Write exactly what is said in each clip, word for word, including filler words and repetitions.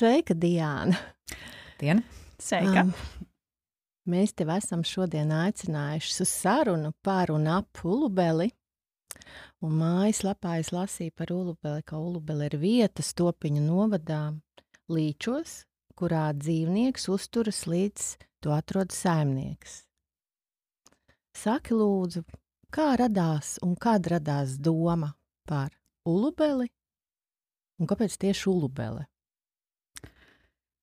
Sveika, Diāna! Diena. Sveika! Um, mēs tev esam šodien aicinājuši uz sarunu par un ap Ulubeli. Un mājaslapā es lasīju par Ulubeli, ka Ulubeli ir vieta Stopiņu novadā Līčos, kurā dzīvnieks uzturas līdz to atrod saimnieks. Saki lūdzu, kā radās un kad radās doma par Ulubeli un kāpēc tieši Ulubele?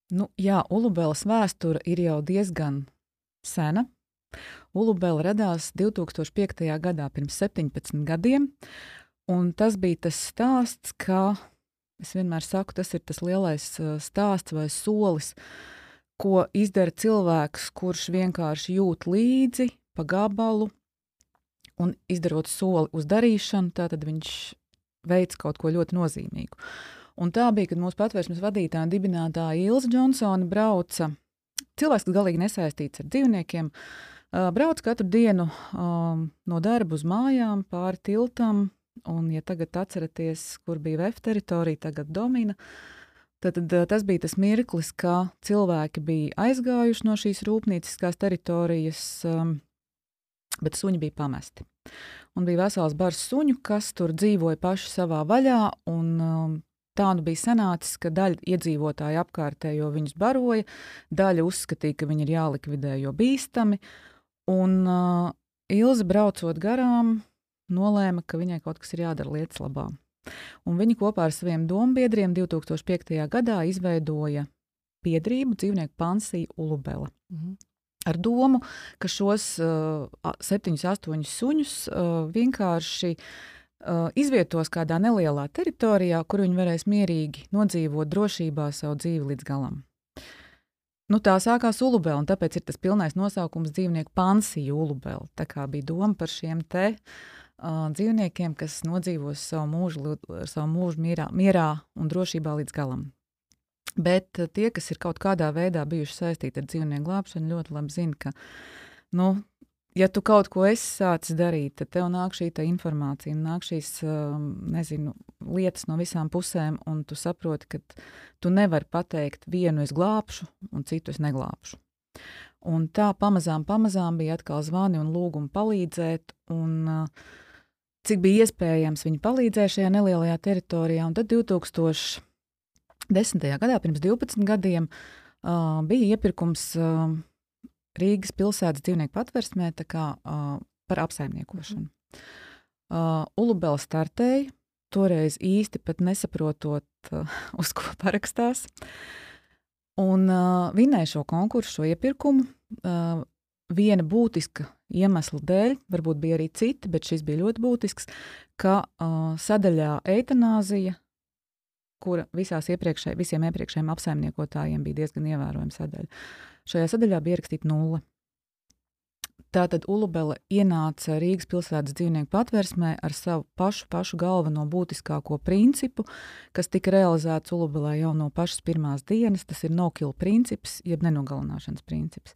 Nu, jā, Ulubeles vēsture ir jau diezgan sena. Ulubele radās divi tūkstoši piektajā gadā, pirms septiņpadsmit gadiem, un tas bija tas stāsts, ka, es vienmēr saku, tas ir tas lielais stāsts vai solis, ko izdara cilvēks, kurš vienkārši jūt līdzi pa gabalu, un izdarot soli uz darīšanu, tātad viņš veic kaut ko ļoti nozīmīgu. Un tā bija, kad mūsu patvērsmes vadītāja un dibinātāja Ilze Džonsone brauca, cilvēks, kas galīgi nesaistīts ar dzīvniekiem, brauc katru dienu um, no darba uz mājām pāri tiltam, un, ja tagad atceraties, kur bija V E F teritorija, tagad Domina, tad, tad tas bija tas mirklis, ka cilvēki bija aizgājuši no šīs rūpnīciskās teritorijas, um, bet suņi bija pamesti. Un bija vesels bars suņu, kas tur dzīvoja paši savā vaļā, un um, tā nu bija sanācis, ka daļa iedzīvotāji apkārtējo viņus baroja, daļa uzskatīja, ka viņi ir jālikvidē, jo bīstami, un uh, Ilze braucot garām nolēma, ka viņai kaut kas ir jādara lietas labā. Un viņi kopā ar saviem dombiedriem divi tūkstoši piektajā gadā izveidoja biedrību dzīvnieku pansiju Ulubele. Mhm. Ar domu, ka šos uh, septiņus, astoņus suņus uh, vienkārši Uh, izvietos kādā nelielā teritorijā, kur viņi varēs mierīgi nodzīvot drošībā savu dzīvi līdz galam. Nu, tā sākās Ulubele, un tāpēc ir tas pilnais nosaukums dzīvnieku pansija Ulubele. Tā kā bija doma par šiem te uh, dzīvniekiem, kas nodzīvos savu mūžu, savu mūžu mierā, mierā un drošībā līdz galam. Bet uh, tie, kas ir kaut kādā veidā bijuši saistīti ar dzīvnieku glābšanu, ļoti labi zina, ka, nu, ja tu kaut ko esi sācis darīt, tad tev nāk šī informācija, nāk šīs, nezinu, lietas no visām pusēm, un tu saproti, ka tu nevari pateikt vienu es glābšu, un citu es neglābšu. Un tā pamazām, pamazām bija atkal zvani un lūgumi palīdzēt, un cik bija iespējams viņi palīdzēja šajā nelielajā teritorijā, un tad divi tūkstoši desmitajā gadā, pirms divpadsmit gadiem, bija iepirkums Rīgas pilsētas dzīvnieku patversmē tā kā, uh, par apsaimniekošanu. Uh, Ulubele startēja, toreiz īsti pat nesaprotot, uh, uz ko parakstās, un uh, vinēja šo konkursu, šo iepirkumu. Uh, viena būtiska iemesla dēļ, varbūt bija arī citi, bet šis bija ļoti būtisks, ka uh, sadaļā eitanāzija, kura visās iepriekšē, visiem iepriekšējiem apsaimniekotājiem bija diezgan ievērojama sadaļa. Šajā sadaļā bija ierakstīta nulle. Tātad Ulubele ienāca Rīgas pilsētas dzīvnieku patversmē ar savu pašu, pašu galveno būtiskāko principu, kas tika realizēts Ulubelē jau no pašas pirmās dienas. Tas ir no-kill princips, jeb nenogalināšanas princips.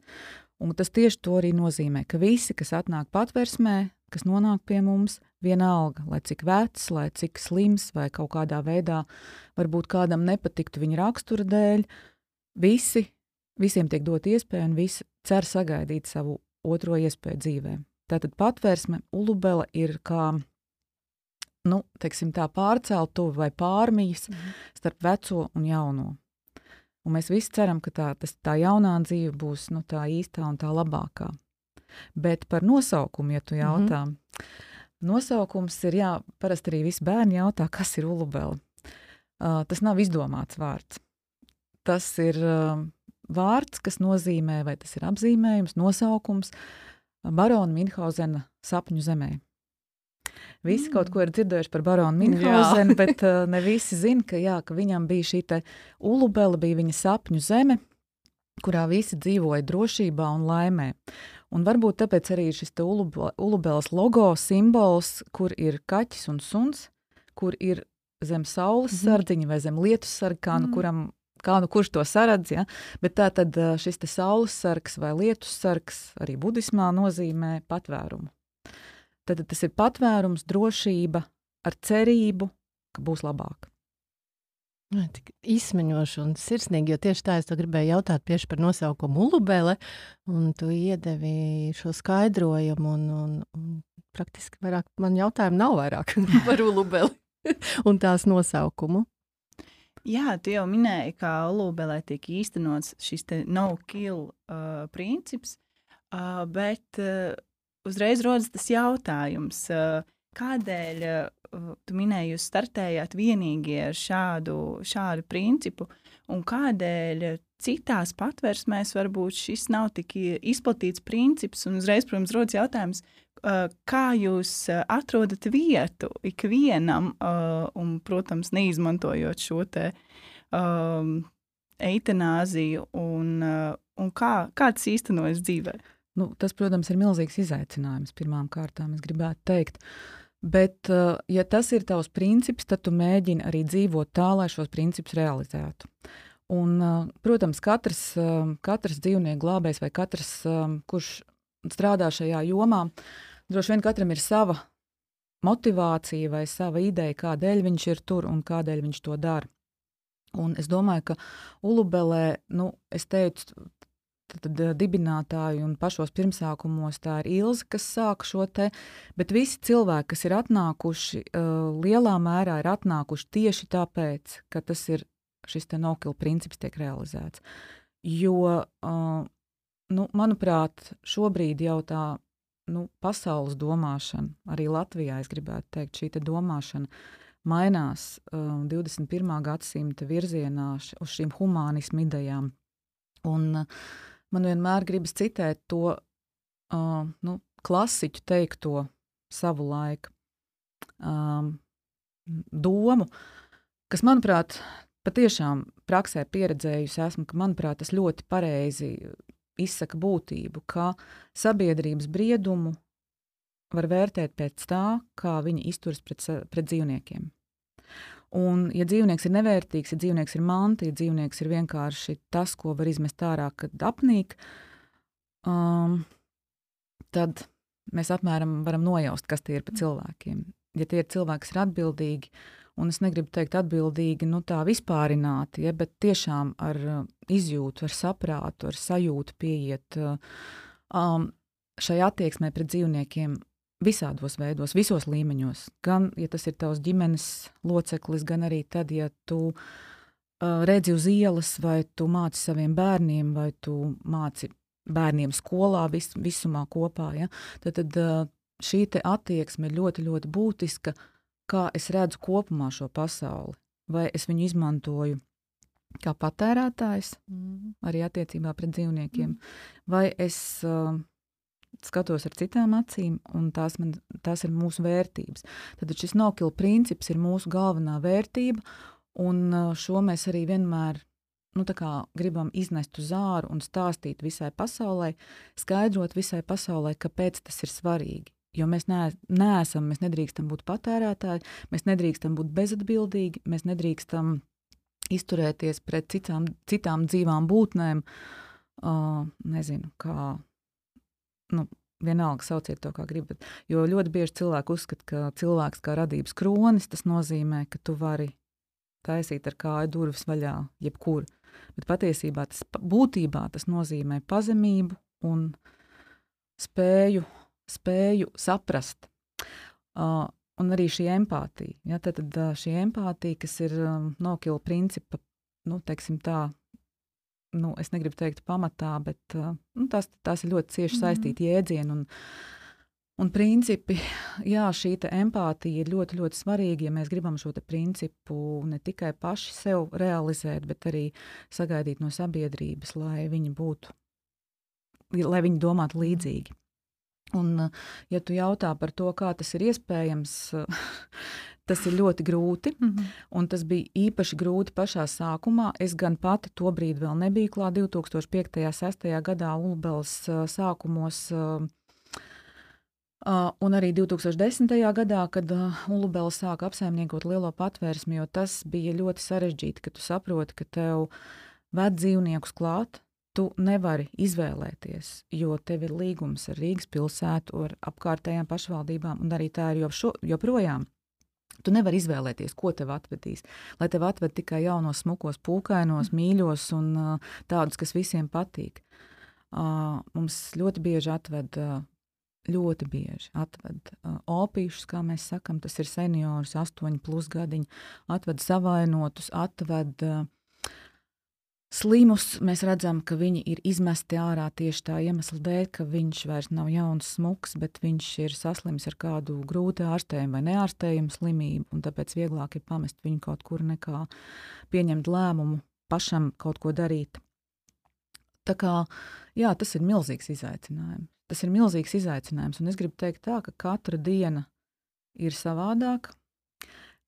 Un tas tieši to arī nozīmē, ka visi, kas atnāk patversmē, kas nonāk pie mums, vienalga, lai cik vecs, lai cik slims vai kaut kādā veidā varbūt kādam nepatiktu viņa rakstura dēļ, visi Visiem tiek dot iespēju, un visi cer sagaidīt savu otro iespēju dzīvē. Tātad patvērsme Ulubele ir kā, nu, teiksim tā, pārceltuve vai pārmijas mm. starp veco un jauno. Un mēs visi ceram, ka tā, tas, tā jaunā dzīve būs, nu, tā īstā un tā labākā. Bet par nosaukumu, ja tu jautā, mm-hmm. nosaukums ir, jā, parasti arī visi bērni jautā, kas ir Ulubele. Uh, tas nav izdomāts vārds. Tas ir uh, vārds, kas nozīmē, vai tas ir apzīmējums, nosaukums barona Minhausena sapņu zemē. Visi mm. kaut ko ir dzirdējuši par baronu Minhausenu, bet uh, ne visi zina, ka, jā, ka viņam bija šī te Ulubele, bija viņa sapņu zeme, kurā visi dzīvoja drošībā un laimē. Un varbūt tāpēc arī šis te Ulubele, Ulubeles logo simbols, kur ir kaķis un suns, kur ir zem saules mm. sardziņa vai zem lietus sarga, kā nu mm. kuram Kā nu kurš to saradz, ja? Bet tā tad šis te saules sargs vai lietus sargs arī budismā nozīmē patvērumu. Tad tas ir patvērums, drošība ar cerību, ka būs labāk. Ai, tik izsmeļoši un sirsnīgi, jo tieši tā es to gribēju jautāt tieši par nosaukumu Ulubele, un tu iedevi šo skaidrojumu, un, un, un praktiski vairāk man jautājumu nav vairāk par Ulubeli un tās nosaukumu. Jā, tu jau minēji, kā Ulubelē tiek īstenots šis te no-kill uh, princips, uh, bet uh, uzreiz rodas tas jautājums, uh, kādēļ uh, tu minēji, jūs startējāt vienīgi ar šādu, šādu principu, un kādēļ citās patversmēs varbūt šis nav tik izplatīts princips, un uzreiz, protams, rodas jautājums, uh, kā jūs atrodat vietu ikvienam, uh, un, protams, neizmantojot šo te um, eitanāziju, un, uh, un kā, kā tas īstenojas dzīvē? Nu, tas, protams, ir milzīgs izaicinājums pirmām kārtām, es gribētu teikt. Bet, ja tas ir tavs princips, tad tu mēģini arī dzīvot tā, lai šos principus realizētu. Un, protams, katrs, katrs dzīvnieku glābējs vai katrs, kurš strādā šajā jomā, droši vien katram ir sava motivācija vai sava ideja, kādēļ viņš ir tur un kādēļ viņš to dara. Un es domāju, ka Ulubelē, nu, es teicu, tad dibinātāji un pašos pirmsākumos tā ir Ilze, kas sāka šo te, bet visi cilvēki, kas ir atnākuši, uh, lielā mērā ir atnākuši tieši tāpēc, ka tas ir šis te no-kill princips tiek realizēts. Jo, uh, nu, manuprāt, šobrīd jau tā, nu, pasaules domāšana, arī Latvijā, es gribētu teikt, šī te domāšana mainās uh, divdesmit pirmā gadsimta virzienā uz šīm humānismu idejām. Un uh, man vienmēr gribas citēt to uh, nu, klasiķu teikto savu laiku um, domu, kas, manuprāt, patiešām praksē pieredzējusi esmu, ka, manuprāt, tas ļoti pareizi izsaka būtību, ka sabiedrības briedumu var vērtēt pēc tā, kā viņi izturas pret, pret dzīvniekiem. Un, ja dzīvnieks ir nevērtīgs, ja dzīvnieks ir manta, ja dzīvnieks ir vienkārši tas, ko var izmest ārā, kad apnīk, um, tad mēs apmēram varam nojaust, kas tie ir pa cilvēkiem. Ja tie ir cilvēki, kas ir atbildīgi, un es negribu teikt atbildīgi, nu tā vispārināti, ja, bet tiešām ar uh, izjūtu, ar saprātu, ar sajūtu pieiet uh, um, šai attieksmē pret dzīvniekiem, visādos veidos, visos līmeņos. Gan, ja tas ir tavs ģimenes loceklis, gan arī tad, ja tu uh, redzi uz ielas, vai tu māci saviem bērniem, vai tu māci bērniem skolā vis, visumā kopā. Ja? Tad, tad uh, šī te attieksme ir ļoti, ļoti būtiska, kā es redzu kopumā šo pasauli. Vai es viņu izmantoju kā patērētājs, mm. arī attiecībā pret dzīvniekiem, mm. vai es uh, skatos ar citām acīm, un tās, man, tās ir mūsu vērtības. Tad šis no-kill princips ir mūsu galvenā vērtība, un šo mēs arī vienmēr nu, tā kā gribam iznest uz āru un stāstīt visai pasaulē, skaidrot visai pasaulē, kāpēc tas ir svarīgi. Jo mēs ne, neesam, mēs nedrīkstam būt patērētāji, mēs nedrīkstam būt bezatbildīgi, mēs nedrīkstam izturēties pret citām, citām dzīvām būtnēm, uh, nezinu, kā nu, vienalga sauciet to, kā gribat. Jo ļoti bieži cilvēki uzskata, ka cilvēks kā radības kronis, tas nozīmē, ka tu vari taisīt ar kāju durvis vaļā jebkur. Bet patiesībā tas būtībā tas nozīmē pazemību un spēju, spēju saprast. Uh, un arī šī empātija. Ja, tad, tad šī empātija, kas ir um, no-kill principa, nu, teiksim tā, nu, es negribu teikt pamatā, bet uh, nu, tās, tās ir ļoti cieši saistīti jēdzieni un, un principi. Jā, šī te empātija ir ļoti, ļoti svarīga, ja mēs gribam šo te principu ne tikai paši sev realizēt, bet arī sagaidīt no sabiedrības, lai viņi būtu, lai viņi domātu līdzīgi. Un, ja tu jautā par to, kā tas ir iespējams, tas ir ļoti grūti, mm-hmm. un tas bija īpaši grūti pašā sākumā. Es gan pati tobrīd vēl nebiju klāt divi tūkstoši piektajā, sestajā gadā Ulubeles uh, sākumos, uh, uh, un arī divi tūkstoši desmitajā gadā, kad uh, Ulubele sāka apsaimniekot lielo patvērsmi, jo tas bija ļoti sarežģīti, ka tu saproti, ka tev ved dzīvniekus klāt, tu nevari izvēlēties, jo tev ir līgums ar Rīgas pilsētu, ar apkārtējām pašvaldībām, un arī tā ir jau šo, joprojām. Tu nevari izvēlēties, ko tev atvedīs. Lai tev atved tikai jaunos, smukos, pūkainos, mīļos un uh, tādus, kas visiem patīk. Uh, mums ļoti bieži atved, uh, ļoti bieži atved uh, opīšus, kā mēs sakam, tas ir seniorus, astoņi plus gadiņi, atved savainotus, atved uh, slimus. Mēs redzam, ka viņi ir izmesti ārā tieši tā iemesla dēļ, ka viņš vairs nav jauns, smuks, bet viņš ir saslims ar kādu grūti ārstējumu vai neārstējumu slimību, un tāpēc vieglāk ir pamest viņu kaut kur nekā pieņemt lēmumu pašam kaut ko darīt. Tā kā, jā, tas ir milzīgs izaicinājums. Tas ir milzīgs izaicinājums, un es gribu teikt tā, ka katra diena ir savādāka.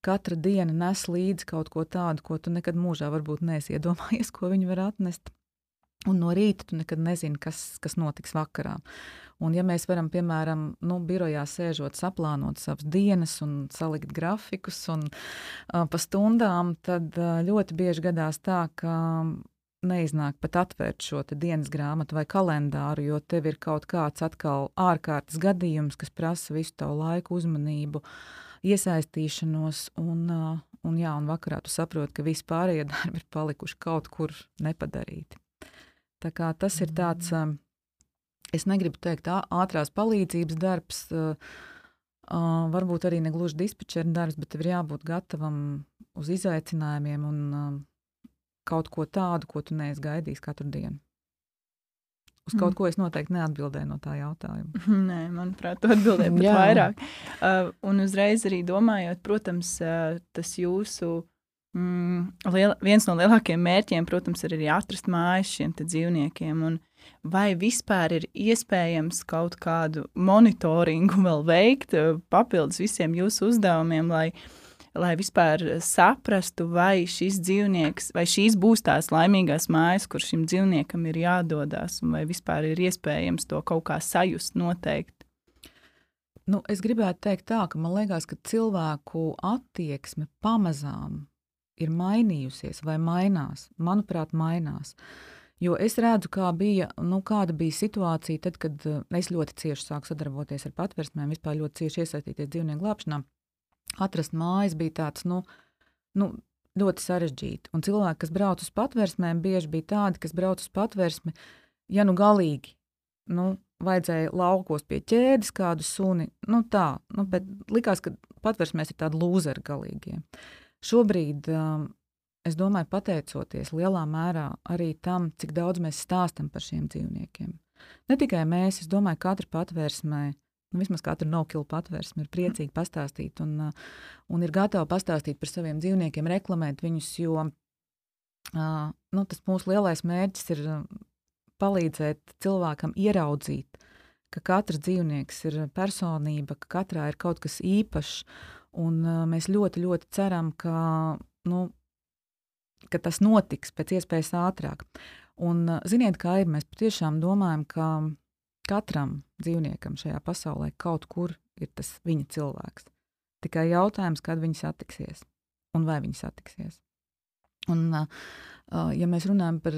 Katra diena nes līdzi kaut ko tādu, ko tu nekad mūžā varbūt neesi iedomājies, ko viņi var atnest. Un no rīta tu nekad nezini, kas, kas notiks vakarā. Un ja mēs varam, piemēram, nu, birojā sēžot, saplānot savas dienas un salikt grafikus un uh, pa stundām, tad uh, ļoti bieži gadās tā, ka neiznāk pat atvērt šo te dienas grāmatu vai kalendāru, jo tev ir kaut kāds atkal ārkārtas gadījums, kas prasa visu tavu laiku, uzmanību, iesaistīšanos, un, un, jā, un vakarā tu saproti, ka visi pārējie darbi ir palikuši kaut kur nepadarīti. Tā kā tas ir tāds, es negribu teikt, ātrās palīdzības darbs, varbūt arī negluži dispečera darbs, bet tev ir jābūt gatavam uz izaicinājumiem un kaut ko tādu, ko tu neesi gaidījis katru dienu. Uz kaut mm. ko es noteikti neatbildēju no tā jautājuma. Nē, manuprāt, tu atbildēji pat vairāk. Uh, un uzreiz arī domājot, protams, uh, tas jūsu mm, liela, viens no lielākajiem mērķiem, protams, ir arī atrast mājas šiem te dzīvniekiem. Un vai vispār ir iespējams kaut kādu monitoringu vēl veikt, uh, papildus visiem jūsu uzdevumiem, lai lai vispār saprastu, vai šis dzīvnieks, vai šīs būs tās laimīgās mājas, kur šim dzīvniekam ir jādodās, un vai vispār ir iespējams to kaut kā sajust noteikti? Nu, es gribētu teikt tā, ka man liekas, ka cilvēku attieksme pamazām ir mainījusies vai mainās. Manuprāt, mainās. Jo es redzu, kā bija, nu, kāda bija situācija tad, kad es ļoti cieši sāku sadarboties ar patversmēm, vispār ļoti cieši iesaistīties dzīvnieku glābšanā. Atrast mājas bija tāds, nu, nu, ļoti sarežģīti. Un cilvēki, kas brauc uz patversmēm, bieži bija tādi, kas brauc uz patversmi, ja nu galīgi, nu, vajadzēja laukos pie ķēdes kādu suni, nu tā, nu, bet likās, ka patversmēs ir tādi lūzeri galīgie. Šobrīd, um, es domāju, pateicoties lielā mērā arī tam, cik daudz mēs stāstam par šiem dzīvniekiem. Ne tikai mēs, es domāju, katra patversmē, nu, vismaz katra no-kill patvērsme ir priecīgi pastāstīt un, un ir gatava pastāstīt par saviem dzīvniekiem, reklamēt viņus, jo uh, nu, tas mūsu lielais mērķis ir palīdzēt cilvēkam ieraudzīt, ka katrs dzīvnieks ir personība, ka katrā ir kaut kas īpašs, un uh, mēs ļoti, ļoti ceram, ka, nu, ka tas notiks pēc iespējas ātrāk. Un uh, ziniet, kā ir, mēs patiešām domājam, ka katram dzīvniekam šajā pasaulē kaut kur ir tas viņa cilvēks. Tikai jautājums, kad viņi satiksies un vai viņi satiksies. Un, ja mēs runājam par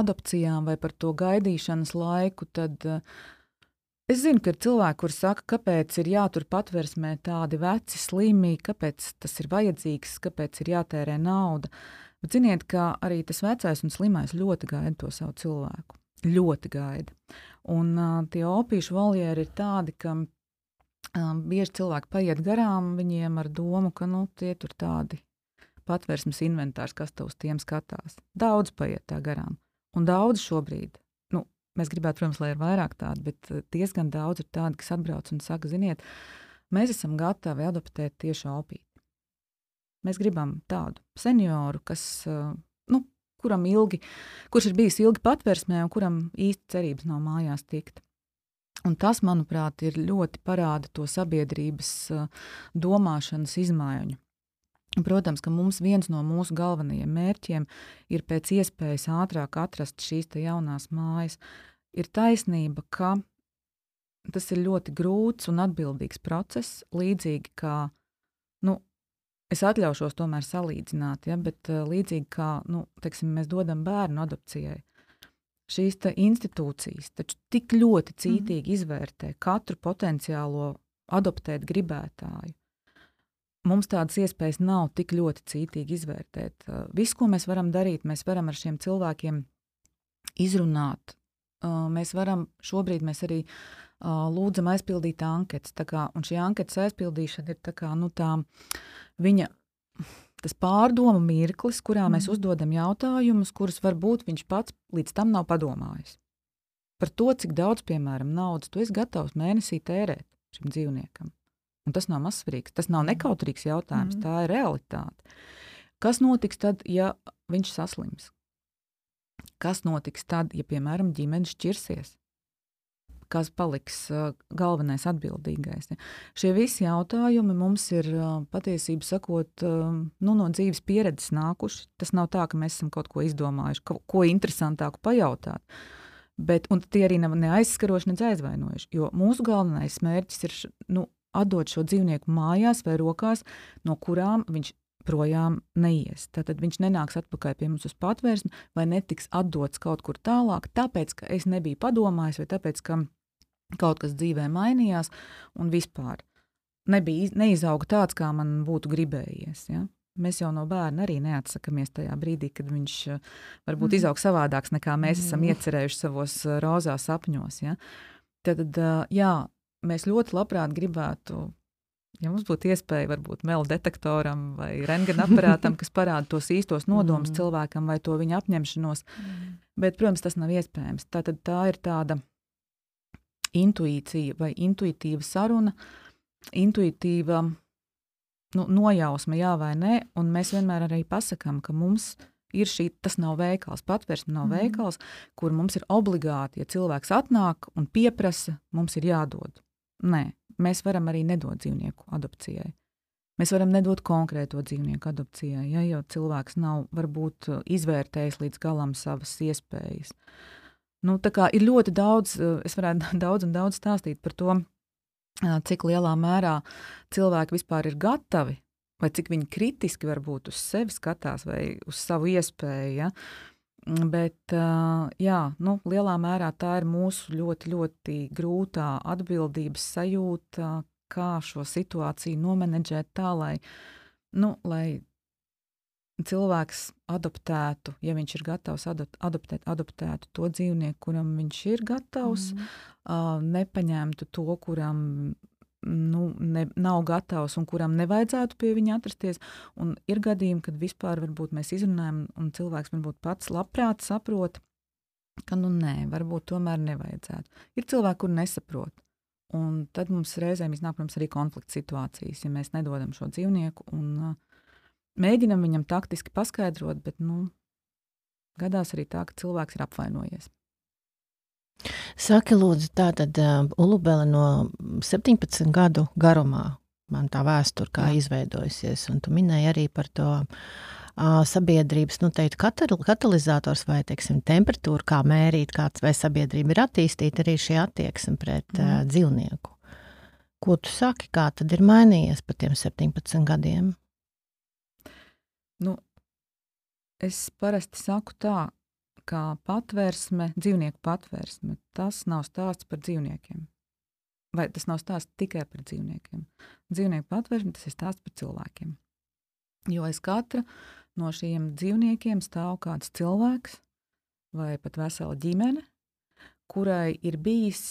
adopcijām vai par to gaidīšanas laiku, tad es zinu, ka ir cilvēki, kuri saka, kāpēc ir jātur patversmē tādi veci, slimi, kāpēc tas ir vajadzīgs, kāpēc ir jātērē nauda. Bet ziniet, ka arī tas vecais un slimais ļoti gaida to savu cilvēku. Ļoti gaida. Un uh, tie opīšu voljeri ir tādi, ka um, bieži cilvēki paiet garām viņiem ar domu, ka nu, tie tur tādi patversmes inventārs, kas te uz tiem skatās. Daudz paiet tā garām. Un daudz šobrīd, nu, mēs gribētu, protams, lai ir vairāk tādi, bet diezgan daudz ir tādi, kas atbrauc un saka, ziniet, mēs esam gatavi adoptēt tieši opīti. Mēs gribam tādu senioru, kas, uh, nu, kuram ilgi, kurš ir bijis ilgi patversmē un kuram īsti cerības nav mājās tikt. Un tas, manuprāt, ir ļoti parāda to sabiedrības uh, domāšanas izmaiņu. Protams, ka mums viens no mūsu galvenajiem mērķiem ir pēc iespējas ātrāk atrast šīs te jaunās mājas. Ir taisnība, ka tas ir ļoti grūts un atbildīgs process, līdzīgi kā, nu, es atļaušos tomēr salīdzināt, ja, bet uh, līdzīgi kā, nu, teiksim, mēs dodam bērnu adopcijai. Šīs te institūcijas taču tik ļoti cītīgi mm. izvērtē katru potenciālo adoptēt gribētāju. mums tādas iespējas nav tik ļoti cītīgi izvērtēt. Uh, visu, ko mēs varam darīt, mēs varam ar šiem cilvēkiem izrunāt. Uh, mēs varam, šobrīd mēs arī uh, lūdzam aizpildīt anketas. Tā kā, un šī anketas aizpildīšana ir tā kā, nu tā, viņa, tas pārdomu mirklis, kurā mm. mēs uzdodam jautājumus, kurus varbūt viņš pats līdz tam nav padomājis. Par to, cik daudz, piemēram, naudas tu esi gatavs mēnesī tērēt šim dzīvniekam. Un tas nav mazsvarīgs, tas nav nekautrīgs jautājums, mm. tā ir realitāte. Kas notiks tad, ja viņš saslims? Kas notiks tad, ja, piemēram, ģimene šķirsies? Kas paliks uh, galvenais atbildīgais? Ja? Šie visi jautājumi mums ir uh, patiesību sakot uh, nu, no dzīves pieredzes nākuši. Tas nav tā, ka mēs esam kaut ko izdomājuši, ko, ko interesantāku pajautāt. Bet, un tie arī nav ne aizskaroši, ne aizvainojuši. Jo mūsu galvenais mērķis ir nu, atdot šo dzīvnieku mājās vai rokās, no kurām viņš projām neies. Tātad viņš nenāks atpakaļ pie mums uz patvērsni vai netiks atdots kaut kur tālāk, tāpēc, ka es nebiju padomājis vai tāpēc, ka kaut kas dzīvē mainījās un vispār nebija, neizauga tāds, kā man būtu gribējies. Ja? Mēs jau no bērna arī neatsakamies tajā brīdī, kad viņš varbūt mm. izaug savādāks, nekā mēs mm. esam iecerējuši savos rozā sapņos. Ja? Tad, jā, mēs ļoti labprāt gribētu, ja mums būtu iespēja varbūt melu detektoram vai rentgena aparātam, kas parāda tos īstos nodomus mm. cilvēkam vai to viņa apņemšanos, mm. bet, protams, tas nav iespējams. Tātad tā ir tāda intuīcija vai intuitīva saruna, intuitīva nu, nojausma, jā vai nē, un mēs vienmēr arī pasakām, ka mums ir šī, tas nav veikals, patvērsme nav mm. veikals, kur mums ir obligāti, ja cilvēks atnāk un pieprasa, mums ir jādod. Nē, mēs varam arī nedot dzīvnieku adopcijai. Mēs varam nedot konkrēto dzīvnieku adopcijai, ja, jo cilvēks nav varbūt izvērtējis līdz galam savas iespējas. Nu, tā kā ir ļoti daudz, es varētu daudz un daudz stāstīt par to, cik lielā mērā cilvēki vispār ir gatavi, vai cik viņi kritiski varbūt uz sevi skatās vai uz savu iespēju, ja? Bet, jā, nu, lielā mērā tā ir mūsu ļoti, ļoti grūtā atbildības sajūta, kā šo situāciju nomenedžēt tā, lai, nu, lai cilvēks adoptētu, ja viņš ir gatavs adoptēt, adoptētu to dzīvnieku, kuram viņš ir gatavs, mm. uh, nepaņemtu to, kuram nu, ne, nav gatavs un kuram nevajadzētu pie viņa atrasties. Un ir gadījumi, kad vispār varbūt mēs izrunājam un cilvēks varbūt pats labprāt saprot, ka nu nē, varbūt tomēr nevajadzētu. Ir cilvēki, kur nesaprot. Un tad mums reizēm iznāk, protams, arī konflikta situācijas, ja mēs nedodam šo dzīvnieku un uh, mēģinam viņam taktiski paskaidrot, bet nu, gadās arī tā, ka cilvēks ir apvainojies. Saki, lūdzu, tātad uh, Ulubele no septiņpadsmit gadu garumā, man tā vēsture kā Jā. izveidojusies, un tu minēji arī par to uh, sabiedrības, nu teikt, katalizators vai, teiksim, temperatūru, kā mērīt, kāds vai sabiedrība ir attīstīta arī šī attieksme pret mm. uh, dzīvnieku. Ko tu saki, kā tad ir mainījies pa tiem septiņpadsmit gadiem? Nu, es parasti saku tā, ka patvērsme, dzīvnieku patvērsme, tas nav stāsts par dzīvniekiem. Vai tas nav stāsts tikai par dzīvniekiem. Dzīvnieku patvērsme, tas ir stāsts par cilvēkiem. Jo aiz katra no šiem dzīvniekiem stāv kāds cilvēks vai pat vesela ģimene, kurai ir bijis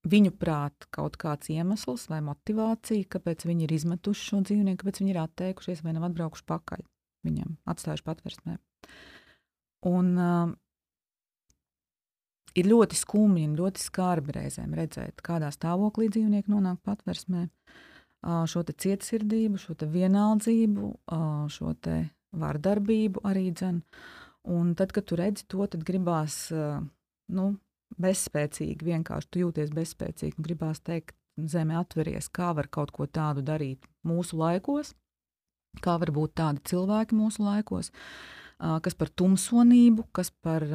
viņu prāt kaut kāds iemesls vai motivācija, kāpēc viņi ir izmetuši šo dzīvnieku, kāpēc viņi ir atteikušies vai nav atbraukuši pakaļ viņam, atstājuši patvērsmē. Un uh, ir ļoti skumji un ļoti skarbi reizēm redzēt, kādā stāvoklī dzīvnieki nonāk patvērsmē, uh, šo te cietsirdību, šo te vienaldzību, uh, šo te vardarbību arī dzen. Un tad, kad tu redzi to, tad gribās, uh, nu, bezspēcīgi, vienkārši tu jūties bezspēcīgi un gribās teikt, zeme atveries, kā var kaut ko tādu darīt mūsu laikos, kā var būt tādi cilvēki mūsu laikos, kas par tumsonību, kas par,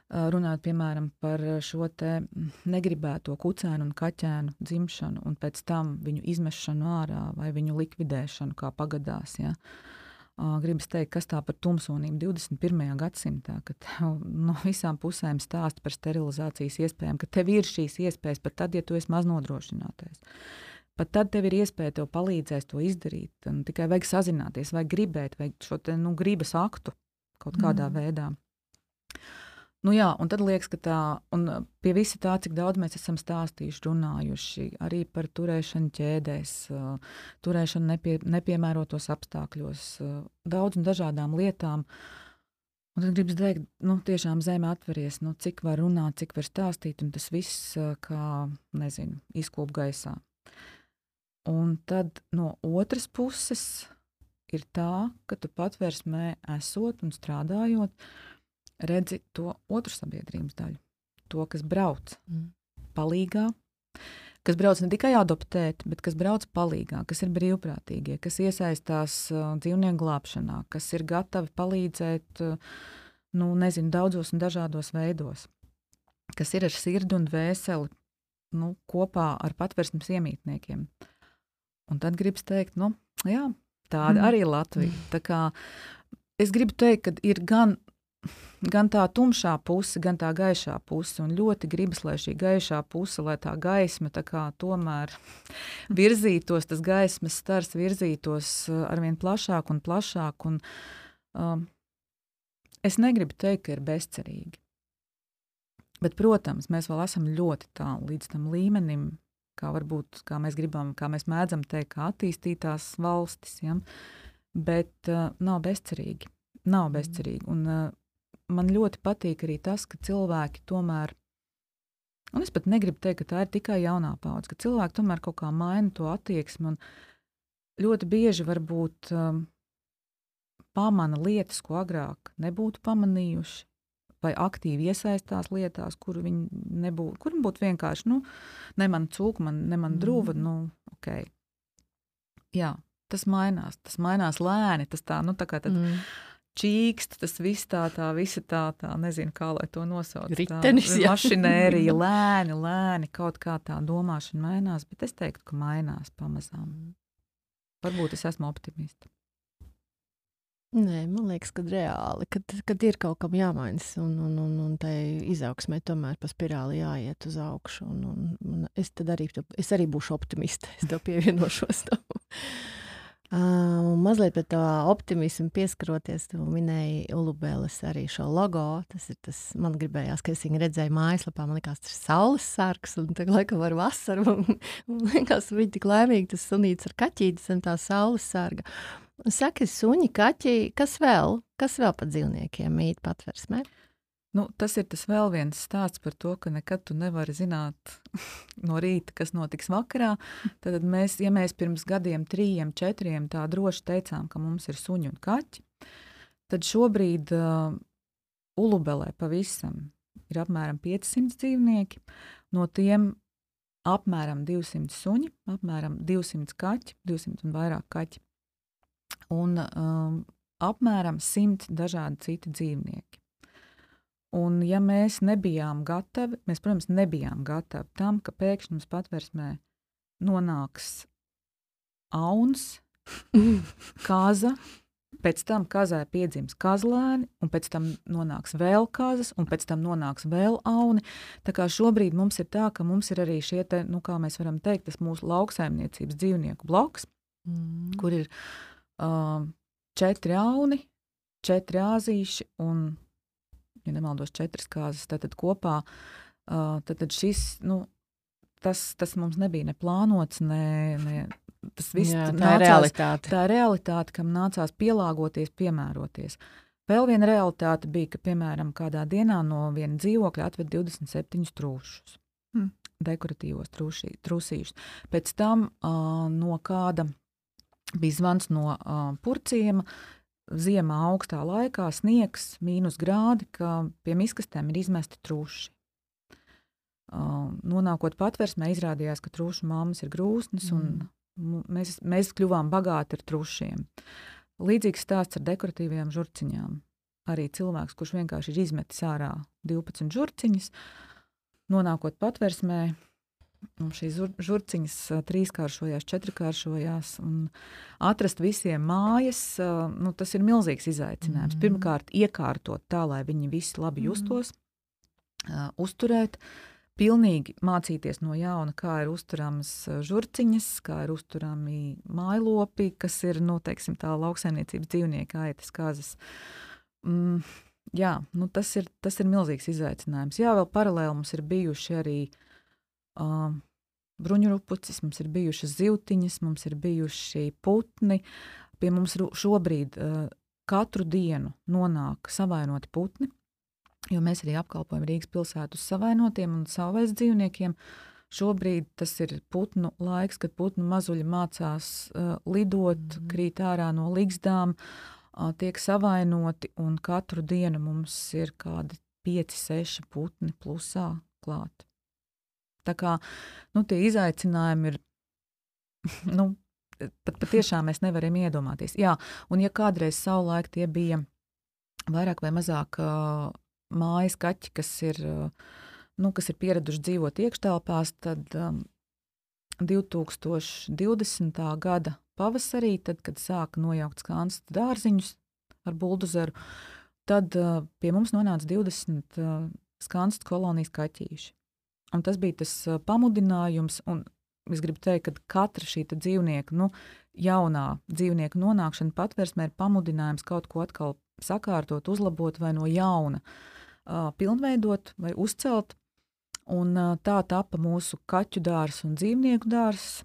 runāt, piemēram, par šo te negribēto kucēnu un kaķēnu dzimšanu un pēc tam viņu izmešanu ārā vai viņu likvidēšanu, kā pagadās, ja. Gribas teikt, kas tā par tumsonību divdesmit pirmajā gadsimtā, kad no visām pusēm stāst par sterilizācijas iespējām, ka tev ir šīs iespējas pat tad, ja tu esi maznodrošinātais. pat tad tev ir iespēja, tev palīdzēs to izdarīt. Un tikai vajag sazināties, vajag gribēt, vajag šo te, nu, gribas aktu kaut kādā mm. veidā. Nu jā, un tad liekas, ka tā, un pie visa tā, cik daudz mēs esam stāstījuši, runājuši, arī par turēšanu ķēdēs, turēšanu nepie, nepiemērotos apstākļos, daudz un dažādām lietām. Un tad gribas teikt, nu, tiešām zeme atveries, nu, cik var runāt, cik var stāstīt, un tas viss, kā, nezinu, izkūp gaisā. Un tad no otras puses ir tā, ka tu patversmē esot un strādājot, redzi to otru sabiedrības daļu. To, kas brauc mm. palīgā, kas brauc ne tikai adoptēt, bet kas brauc palīgā, kas ir brīvprātīgie, kas iesaistās uh, dzīvnieku glābšanā, kas ir gatavi palīdzēt, uh, nu, nezinu, daudzos un dažādos veidos, kas ir ar sirdi un dvēseli, nu, kopā ar patversmes iemītniekiem. Un tad gribas teikt, nu, jā, tāda mm. arī Latvija. Tā kā es gribu teikt, ka ir gan Gan tā tumšā puse, gan tā gaišā puse, un ļoti gribas, lai šī gaišā puse, lai tā gaisma tā kā tomēr virzītos, tas gaismas stars virzītos arvien plašāk un plašāk, un um, es negribu teikt, ka ir bezcerīgi. Bet, protams, mēs vēl esam ļoti tālu līdz tam līmenim, kā varbūt, kā mēs gribam, kā mēs mēdzam teikt, kā attīstītās valstis, ja? Bet uh, nav bezcerīgi, nav bezcerīgi, un uh, man ļoti patīk arī tas, ka cilvēki tomēr, un es pat negribu teikt, ka tā ir tikai jaunā paudze, ka cilvēki tomēr kaut kā maina to attieksmi un ļoti bieži varbūt um, pamana lietas, ko agrāk nebūtu pamanījuši, vai aktīvi iesaistās lietās, kur viņi nebūtu, kur būtu vienkārši, nu, ne man cūku, man, ne man druva, mm. nu, ok. Jā, tas mainās, tas mainās lēni, tas tā, nu, tā kā tad, mm. čīkst, tas viss tā, tā, visa tā, tā, nezinu, kā lai to nosauc. Ritenis, jā. Mašinērija, lēni, lēni, kaut kā tā domāšana mainās, bet es teiktu, ka mainās pamazām. Varbūt es esmu optimista. Nē, man liekas, ka reāli, kad, kad ir kaut kam jāmainas, un, un, un, un tai izaugsmē tomēr pa spirāli jāiet uz augšu, un, un, un es tad arī, es arī būšu optimista, es tev pievienošos tam. Uh, mazliet par to optimismu pieskaroties, tu minēji Ulubeles arī šo logo, tas ir tas, man gribējās, ka es viņu redzēju mājaslapā, man likās, tas ir saules sargs, un tagad laikam var vasaru, un, un likās, viņi tik laimīgi, tas sunīts ar kaķītis un tā saules sarga. Saki, suņi, kaķi, kas vēl, kas vēl par dzīvniekiem mīt patversmē? Nu, tas ir tas vēl viens stāsts par to, ka nekad tu nevari zināt no rīta, kas notiks vakarā. Tad mēs, ja mēs pirms gadiem, trījiem, četriem tā droši teicām, ka mums ir suņi un kaķi, tad šobrīd uh, Ulubelē pavisam ir apmēram piecsimt dzīvnieki, no tiem apmēram divsimt suņi, apmēram divsimt kaķi, divsimt un vairāk kaķi, un um, apmēram simt dažādi citi dzīvnieki. Un ja mēs nebijām gatavi, mēs, protams, nebijām gatavi tam, ka pēkšņi mums patversmē nonāks auns, kaza, pēc tam kazai piedzims kazlēni, un pēc tam nonāks vēl kazas, un pēc tam nonāks vēl auni. Tā kā šobrīd mums ir tā, ka mums ir arī šie te, nu kā mēs varam teikt, tas mūsu lauksaimniecības dzīvnieku bloks, mm. kur ir uh, četri auni, četri āzīši un ja nemaldos četras kāzas, tātad kopā, uh, tātad šis, nu, tas, tas mums nebija ne plānots, ne, ne tas viss Jā, tā nācās, ir realitāte. Tā ir realitāte, kam nācās pielāgoties, piemēroties. Vēl viena realitāte bija, ka, piemēram, kādā dienā no viena dzīvokļa atved divdesmit septiņus trūšus, hmm. dekoratīvos trūšī, trūsīšus. Pēc tam uh, no kāda bija zvans no uh, Purciema, ziemā augstā laikā sniegs, mīnus grādi, ka pie miskastēm ir izmesti trūši. Uh, nonākot patversmē, izrādījās, ka trūšu mammas ir grūsnes, mm. un mēs, mēs kļuvām bagāti ar trūšiem. Līdzīgs stāsts ar dekoratīvajām žurciņām. Arī cilvēks, kurš vienkārši ir izmetis ārā divpadsmit žurciņas, nonākot patversmē, un šīs žurciņas trīskāršojās, četrkāršojās, un atrast visiem mājas, nu, tas ir milzīgs izaicinājums. Mm. Pirmkārt, iekārtot tā, lai viņi visi labi justos, mm. uh, uzturēt, pilnīgi mācīties no jauna, kā ir uzturamas žurciņas, kā ir uzturami mājlopi, kas ir, nu, teiksim, tā lauksaimniecības dzīvnieki, aitas, kazas. Mm, jā, nu, tas ir, tas ir milzīgs izaicinājums. Jā, vēl paralēli mums ir bijuši arī uh, bruņurupucis, mums ir bijušas zivtiņas, mums ir bijuši putni. Pie mums šobrīd uh, katru dienu nonāk savainoti putni, jo mēs arī apkalpojam Rīgas pilsētu uz savainotiem un savvaļas dzīvniekiem. Šobrīd tas ir putnu laiks, kad putnu mazuļi mācās uh, lidot, mm. krīt ārā no ligzdām, uh, tiek savainoti, un katru dienu mums ir kādi pieci, seši putni plusā klāt. Tā kā, nu, tie izaicinājumi ir, nu, pat patiešām mēs nevaram iedomāties. Jā, un ja kādreiz savulaik tie bija vairāk vai mazāk uh, mājas kaķi, kas ir, nu, kas ir pieraduši dzīvot iekštelpās, tad um, divtūkstoš divdesmitā gada pavasarī, tad, kad sāka nojaukt skanstu dārziņus ar buldozeru, tad uh, pie mums nonāca divdesmit uh, skanstu kolonijas kaķīši. Un tas bija tas uh, pamudinājums, un es gribu teikt, ka katra šī dzīvnieka, nu, jaunā dzīvnieka nonākšana patversmē ir pamudinājums kaut ko atkal sakārtot, uzlabot vai no jauna uh, pilnveidot vai uzcelt. Un uh, tā tapa mūsu kaķu dārs un dzīvnieku dārs,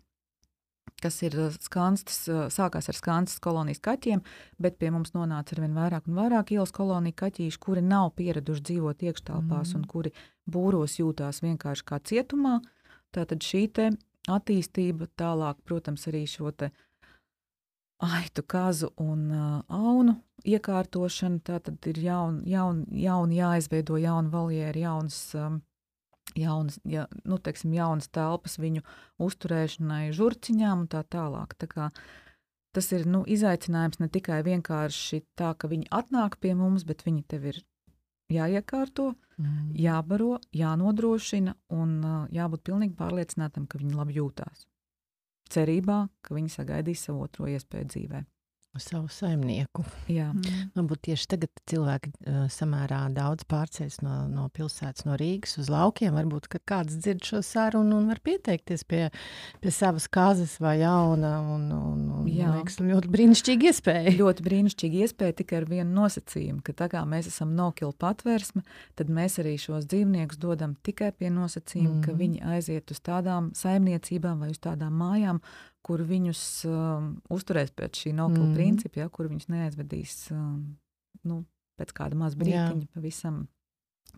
kas ir skanstas, uh, sākās ar skanstas kolonijas kaķiem, bet pie mums nonāca arvien vairāk un vairāk ielas koloniju kaķīši, kuri nav pieraduši dzīvot iekštelpās mm. un kuri būros jūtās vienkārši kā cietumā. Tātad šī te attīstība tālāk, protams, arī šo te aitu, kazu un uh, aunu iekārtošana, tātad ir jaun, jaun, jaun jāizveido jauna valjēra, jaunas, um, jaunas, ja, nu, teiksim, jaunas telpas viņu uzturēšanai žurciņām un tā tālāk. Tā kā tas ir, nu, izaicinājums ne tikai vienkārši tā, ka viņi atnāk pie mums, bet viņi tev ir jāiekārto, mm. jābaro, jānodrošina un uh, jābūt pilnīgi pārliecinātam, ka viņi labi jūtās. Cerībā, ka viņi sagaidīs savu otro iespēju dzīvē. Savu saimnieku. Jā. Mm. Varbūt tieši tagad cilvēki uh, samērā daudz pārceļas no, no pilsētas, no Rīgas uz laukiem. Varbūt, ka kāds dzird šo sarunu un var pieteikties pie, pie savas kazas vai jauna. Un, un, un, liekas, ļoti brīnišķīga iespēja. Ļoti brīnišķīga iespēja tikai ar vienu nosacījumu, ka tā kā mēs esam no-kill patvērsme, tad mēs arī šos dzīvniekus dodam tikai pie nosacījuma, mm. ka viņi aiziet uz tādām saimniecībām vai uz tādām mājām, kur viņus um, uzturēs pēc šī no-kill mm. principa, ja, kur viņus neaizvedīs um, nu, pēc kāda maz brītiņa, Jā. pavisam,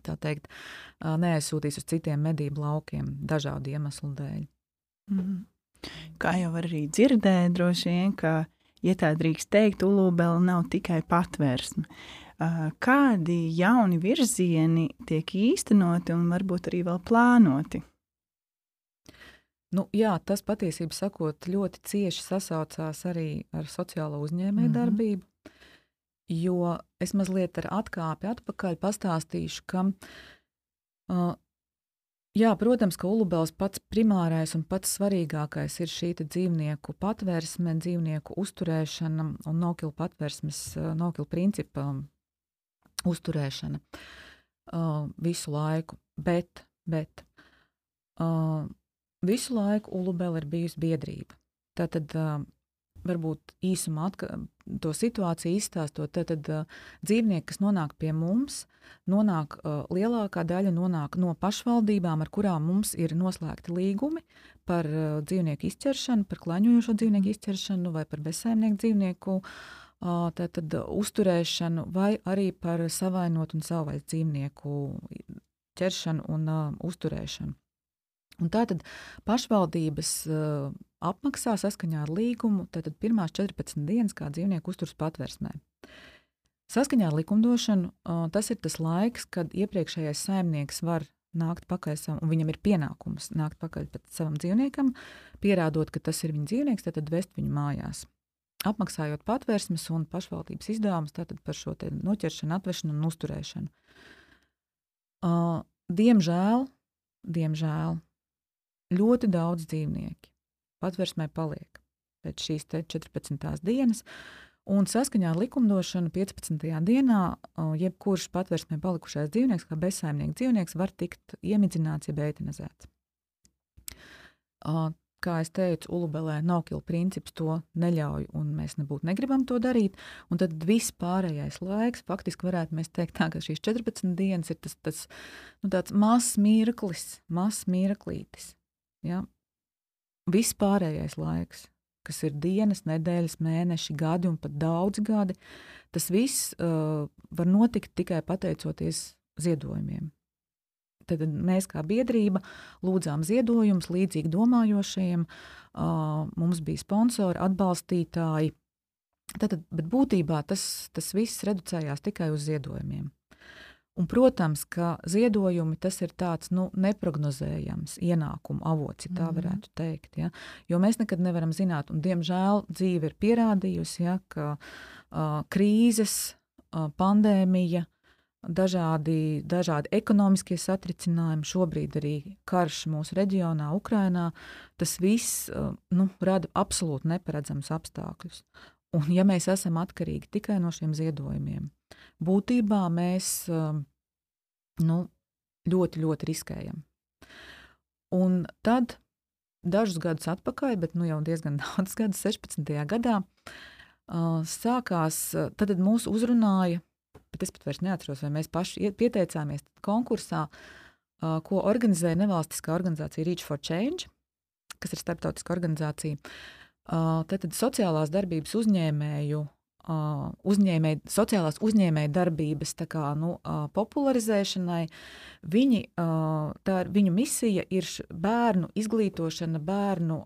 tā teikt, uh, neaizsūtīs uz citiem medību laukiem dažādu iemeslu dēļ. Mm. Kā jau arī dzirdēja, droši vien, ka, ja tā drīkst teikt, Ulūbele nav tikai patvērsme. Uh, kādi jauni virzieni tiek īstenoti un varbūt arī vēl plānoti? Nu, jā, tas patiesībā sakot ļoti cieši sasaucās arī ar sociālo uzņēmēju mm-hmm. darbību, jo es mazliet ar atkāpi atpakaļ pastāstīšu, ka, uh, jā, protams, ka Ulūbeles pats primārais un pats svarīgākais ir šī dzīvnieku patvērsme, dzīvnieku uzturēšana un no-kill patvērsmes, uh, no-kill principa uzturēšana uh, visu laiku, bet, bet, uh, visu laiku Ulūbele ir bijusi biedrība. Tātad uh, varbūt īsumā atka, to situāciju izstāstot, tātad uh, dzīvnieki, kas nonāk pie mums, nonāk, uh, lielākā daļa nonāk no pašvaldībām, ar kurām mums ir noslēgti līgumi par uh, dzīvnieku izķeršanu, par klaņojošo dzīvnieku izķeršanu vai par bezsaimnieku dzīvnieku uh, tātad uh, uzturēšanu vai arī par savainotu un savvaļas dzīvnieku ķeršanu un uh, uzturēšanu. Un tātad pašvaldības uh, apmaksā saskaņā ar līgumu tātad pirmās četrpadsmit dienas kā dzīvnieku uzturas patversmē. Saskaņā ar likumdošanu uh, tas ir tas laiks, kad iepriekšējais saimnieks var nākt pakaļ savam, un viņam ir pienākums nākt pakaļ pēc savam dzīvniekam, pierādot, ka tas ir viņa dzīvnieks, tātad vest viņu mājās. Apmaksājot patversmes un pašvaldības izdevumus tātad par šo te noķeršanu, atvešanu un uzturēšanu. Uh, diemžēl, diemžēl, ļoti daudz dzīvnieki patversmē paliek pēc šīs te četrpadsmitās dienas, Un saskaņā ar likumdošanu piecpadsmitajā dienā jebkurš patversmē palikušais dzīvnieks, kā bezsaimnieks dzīvnieks, var tikt iemidzināts, jeb eitanizēts. Kā es teicu, Ulubelē no-kill princips to neļauj, un mēs nebūtu negribam to darīt. Un tad viss pārējais laiks, faktiski varētu mēs teikt tā, ka šīs četrpadsmit dienas ir tas, tas nu, tāds mazs mirklis, mazs mirklītis. Ja? Viss pārējais laiks, kas ir dienas, nedēļas, mēneši, gadi un pat daudzi gadi, tas viss uh, var notikt tikai pateicoties ziedojumiem. Tad mēs kā biedrība lūdzām ziedojumus līdzīgi domājošajiem, uh, mums bija sponsori, atbalstītāji. Tātad, bet būtībā tas, tas viss reducējās tikai uz ziedojumiem. Un, protams, ka ziedojumi tas ir tāds nu, neprognozējams ienākumu avots, ja tā varētu teikt. Ja? Jo mēs nekad nevaram zināt, un diemžēl dzīve ir pierādījusi, ja, ka uh, krīzes, uh, pandēmija, dažādi, dažādi ekonomiskie satricinājumi, šobrīd arī karš mūsu reģionā, Ukrainā, tas viss uh, nu, rada absolūti neparedzams apstākļus. Un ja mēs esam atkarīgi tikai no šiem ziedojumiem, būtībā mēs nu, ļoti, ļoti riskējam. Un tad dažus gadus atpakaļ, bet nu jau diezgan daudz gadus, sešpadsmitajā gadā, sākās, tad mūs uzrunāja, bet es pat vairs neatceros, vai mēs paši pieteicāmies konkursā, ko organizēja nevalstiskā organizācija Reach for Change, kas ir starptautiska organizācija. Tātad sociālās darbības uzņēmēju, uzņēmēju, sociālās uzņēmēju darbības tā kā, nu, popularizēšanai. Viņi, tā ir, viņu misija ir bērnu izglītošana, bērnu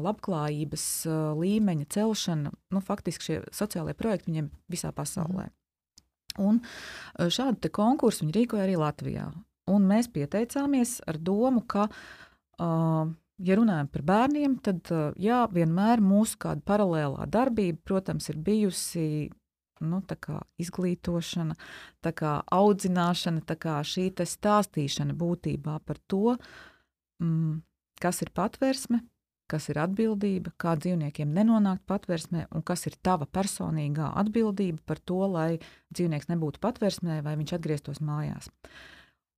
labklājības līmeņa celšana. Nu, faktiski šie sociālie projekti viņiem visā pasaulē. Un šādu te konkursu viņi rīkoja arī Latvijā. Un mēs pieteicāmies ar domu, ka ja runājam par bērniem, tad jā, vienmēr mūsu kāda paralēlā darbība, protams, ir bijusi nu, tā kā izglītošana, tā kā audzināšana, tā kā šī te stāstīšana būtībā par to, mm, kas ir patversme, kas ir atbildība, kā dzīvniekiem nenonākt patversmē un kas ir tava personīgā atbildība par to, lai dzīvnieks nebūtu patversmē vai viņš atgrieztos mājās.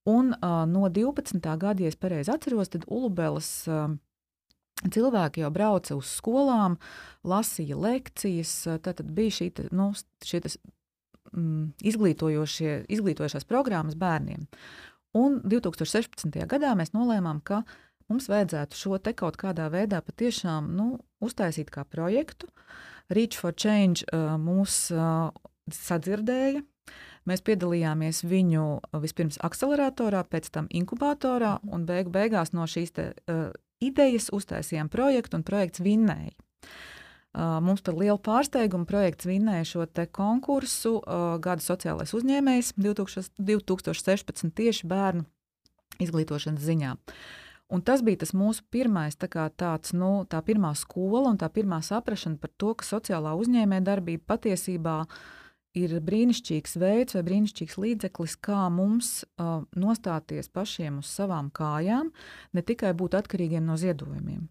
Un uh, no divpadsmitā gada, ja es pareizi atceros, tad Ulubeles uh, cilvēki jau brauca uz skolām, lasīja lekcijas, tad bija šī, nu, šie tas, mm, izglītojošie, izglītojošās programmas bērniem. Un divtūkstoš sešpadsmitajā gadā mēs nolēmām, ka mums vajadzētu šo te kaut kādā veidā patiešām nu, uztaisīt kā projektu. Reach for Change uh, mūs uh, sadzirdēja. Mēs piedalījāmies viņu vispirms akceleratorā, pēc tam inkubatorā, un beigu beigās no šīs te, uh, idejas uztaisījām projektu, un projekts vinnēja. Uh, mums par lielu pārsteigumu projekts vinnēja šo te konkursu uh, Gada sociālais uzņēmējs divtūkstoš sešpadsmit tieši bērnu izglītošanas ziņā. Un tas bija tas mūsu pirmais, tā kā tāds, nu, tā pirmā skola un tā pirmā saprašana par to, ka sociālā uzņēmē darbība patiesībā ir brīnišķīgs veids vai brīnišķīgs līdzeklis, kā mums uh, nostāties pašiem uz savām kājām, ne tikai būt atkarīgiem no ziedojumiem.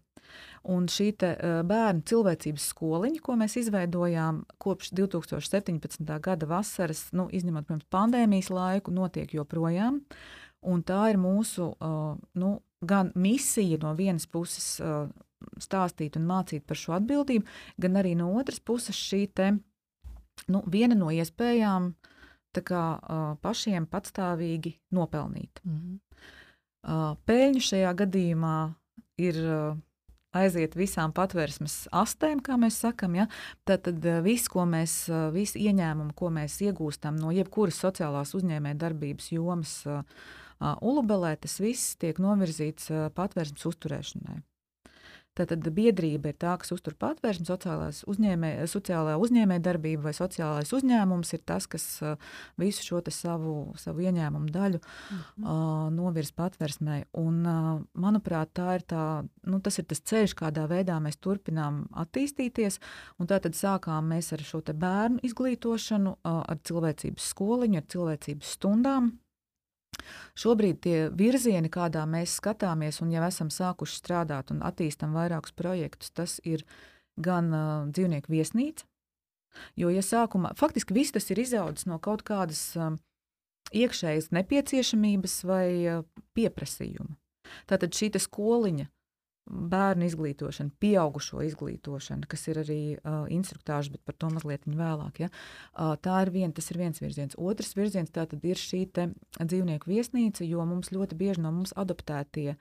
Un šī te, uh, bērnu cilvēcības skoliņa, ko mēs izveidojām kopš divtūkstoš septiņpadsmitā gada vasaras, nu, izņemot, protams, pandēmijas laiku, notiek joprojām. Un tā ir mūsu uh, nu, gan misija no vienas puses uh, stāstīt un mācīt par šo atbildību, gan arī no otras puses šī te Nu, viena no iespējām tā kā, uh, pašiem patstāvīgi nopelnīt. Mm-hmm. Uh, Peļņu šajā gadījumā ir uh, aiziet visām patversmes astēm, kā mēs sakam. Ja? Tātad uh, viss, ko mēs, uh, visi ieņēmumi, ko mēs iegūstam no jebkuras sociālās uzņēmē darbības jomas uh, uh, Ulubelē, tas viss tiek novirzīts uh, patversmes uzturēšanai. Tātad biedrība ir tā, kas uztur patvērsmi, uzņēmē, sociālā uzņēmē darbība vai sociālais uzņēmums ir tas, kas uh, visu šo te savu, savu ieņēmumu daļu mm-hmm. uh, novirz patvērsmē. Un, uh, manuprāt, tā ir tā, nu, tas ir tas ceļš, kādā veidā mēs turpinām attīstīties. Un tātad sākām mēs ar šo te bērnu izglītošanu, uh, ar cilvēcības skoliņu, ar cilvēcības stundām. Šobrīd tie virzieni, kādā mēs skatāmies un jau esam sākuši strādāt un attīstam vairākus projektus, tas ir gan uh, dzīvnieku viesnīca, Jo, ja sākumā, faktiski viss tas ir izaudzis no kaut kādas um, iekšējas nepieciešamības vai uh, pieprasījuma. Tātad šī skoliņa, bērnu izglītošana, pieaugušo izglītošana, kas ir arī uh, instruktāža, bet par to mazliet vēlāk. Ja? Uh, tā ir vien, tas ir viens virziens. Otrs virziens tātad ir šī te dzīvnieku viesnīca, jo mums ļoti bieži no mums adoptētie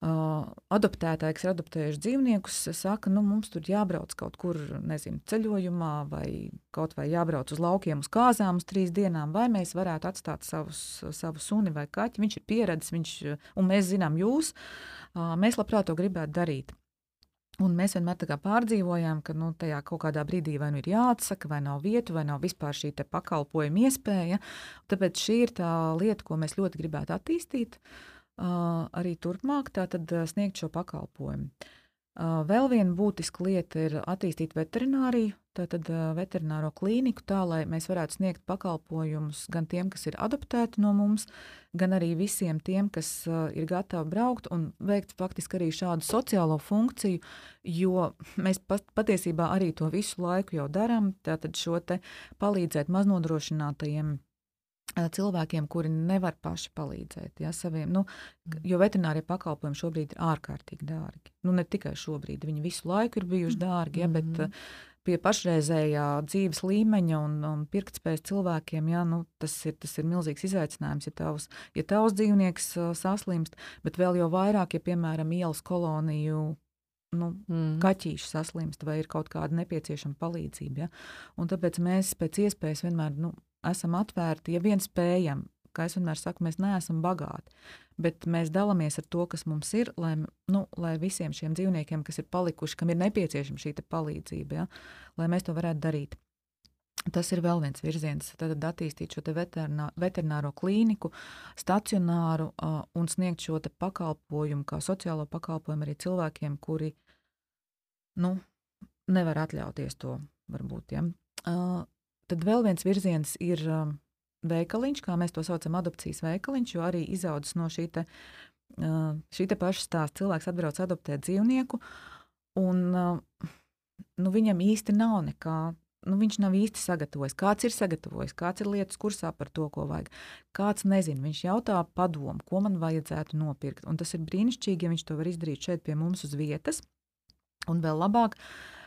Uh, adoptētāji, kas ir adoptējuši dzīvniekus, saka, nu, mums tur jābrauc kaut kur, nezinu, ceļojumā vai kaut vai jābrauc uz laukiem uz kāzām uz trīs dienām, vai mēs varētu atstāt savus, savu suni vai kaķi. Viņš ir pieredzis, viņš, un mēs zinām jūs, uh, mēs labprāt to gribētu darīt. Un mēs vienmēr tā kā pārdzīvojām, ka nu, tajā kaut kādā brīdī vai nu ir jāatsaka, vai nav vietu, vai nav vispār šī te pakalpojuma iespēja. Tāpēc šī ir tā lieta, ko mēs ļoti gribētu attīstīt. Uh, arī turpmāk tātad uh, sniegt šo pakalpojumu. Uh, vēl viena būtiska lieta ir attīstīt veterināriju, tātad uh, veterināro klīniku, tā, lai mēs varētu sniegt pakalpojumus gan tiem, kas ir adoptēti no mums, gan arī visiem tiem, kas uh, ir gatavi braukt un veikt faktiski arī šādu sociālo funkciju, jo mēs pat, patiesībā arī to visu laiku jau darām, tātad šo te palīdzēt maznodrošinātajiem cilvēkiem, kuri nevar paši palīdzēt, ja, saviem, nu, jo veterinārie pakalpojumi šobrīd ir ārkārtīgi dārgi. Nu, ne tikai šobrīd, viņi visu laiku ir bijuši dārgi, ja, bet pie pašreizējā dzīves līmeņa un, un pirktspējas cilvēkiem, ja, nu, tas ir, tas ir milzīgs izaicinājums, ja tavs, ja tavs dzīvnieks saslimst, bet vēl jau vairāk, ja, piemēram, ielas koloniju nu, mm. kaķīši saslimst vai ir kaut kāda nepieciešama palīdzība. Ja? Un tāpēc mēs pēc iespējas vienmēr, nu, esam atvērti, ja vien spējam, kā es vienmēr saku, mēs neesam bagāti, bet mēs dalāmies ar to, kas mums ir, lai, nu, lai visiem šiem dzīvniekiem, kas ir palikuši, kam ir nepieciešama šī palīdzība, ja, lai mēs to varētu darīt. Tas ir vēl viens virziens, tad attīstīt šo te veterinā, veterināro klīniku, stacionāru uh, un sniegt šo te pakalpojumu, kā sociālo pakalpojumu arī cilvēkiem, kuri, nu, nevar atļauties to, varbūt, ja. Uh, Tad vēl viens virziens ir um, veikaliņš, kā mēs to saucam, adopcijas veikaliņš, jo arī izaudzis no šī te, uh, šī te paša stāsta. Cilvēks atbrauc adoptēt dzīvnieku, un uh, nu, viņam īsti nav nekā, nu, viņš nav īsti sagatavojis. Kāds ir sagatavojis, kāds ir lietas kursā par to, ko vajag. Kāds nezina, viņš jautā padomu, ko man vajadzētu nopirkt. Un tas ir brīnišķīgi, ja viņš to var izdarīt šeit pie mums uz vietas. Un vēl labāk,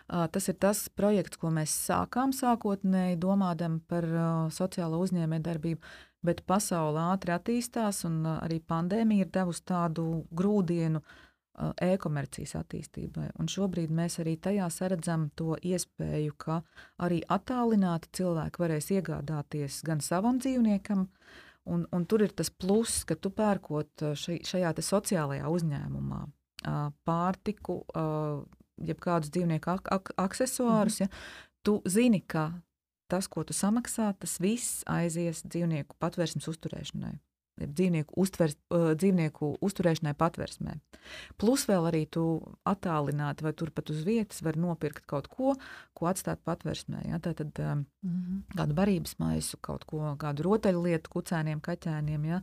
tas ir tas projekts, ko mēs sākām sākotnēji domādam par uh, sociālo uzņēmējdarbību, bet pasaule ātri attīstās un uh, arī pandēmija ir devusi tādu grūdienu uh, e-komercijas attīstībai. Un šobrīd mēs arī tajā saredzam to iespēju, ka arī attālināti cilvēki varēs iegādāties gan savam dzīvniekam, un, un tur ir tas pluss, ka tu pērkot šai, šajā te sociālajā uzņēmumā uh, pārtiku, uh, jeb kādus dzīvnieku ak ak aksesuārus, ja, tu zini, ka tas, ko tu samaksā, tas viss aizies dzīvnieku patvērsmes uzturēšanai, jeb dzīvnieku, uztvers, uh, dzīvnieku uzturēšanai patvērsmē. Plus vēl arī tu attālināti vai turpat uz vietas var nopirkt kaut ko, ko atstāt patvērsmē. Ja? Tātad um, mm-hmm. kādu barības maisu, kaut ko, kādu rotaļlietu kucēniem, kaķēniem, ja?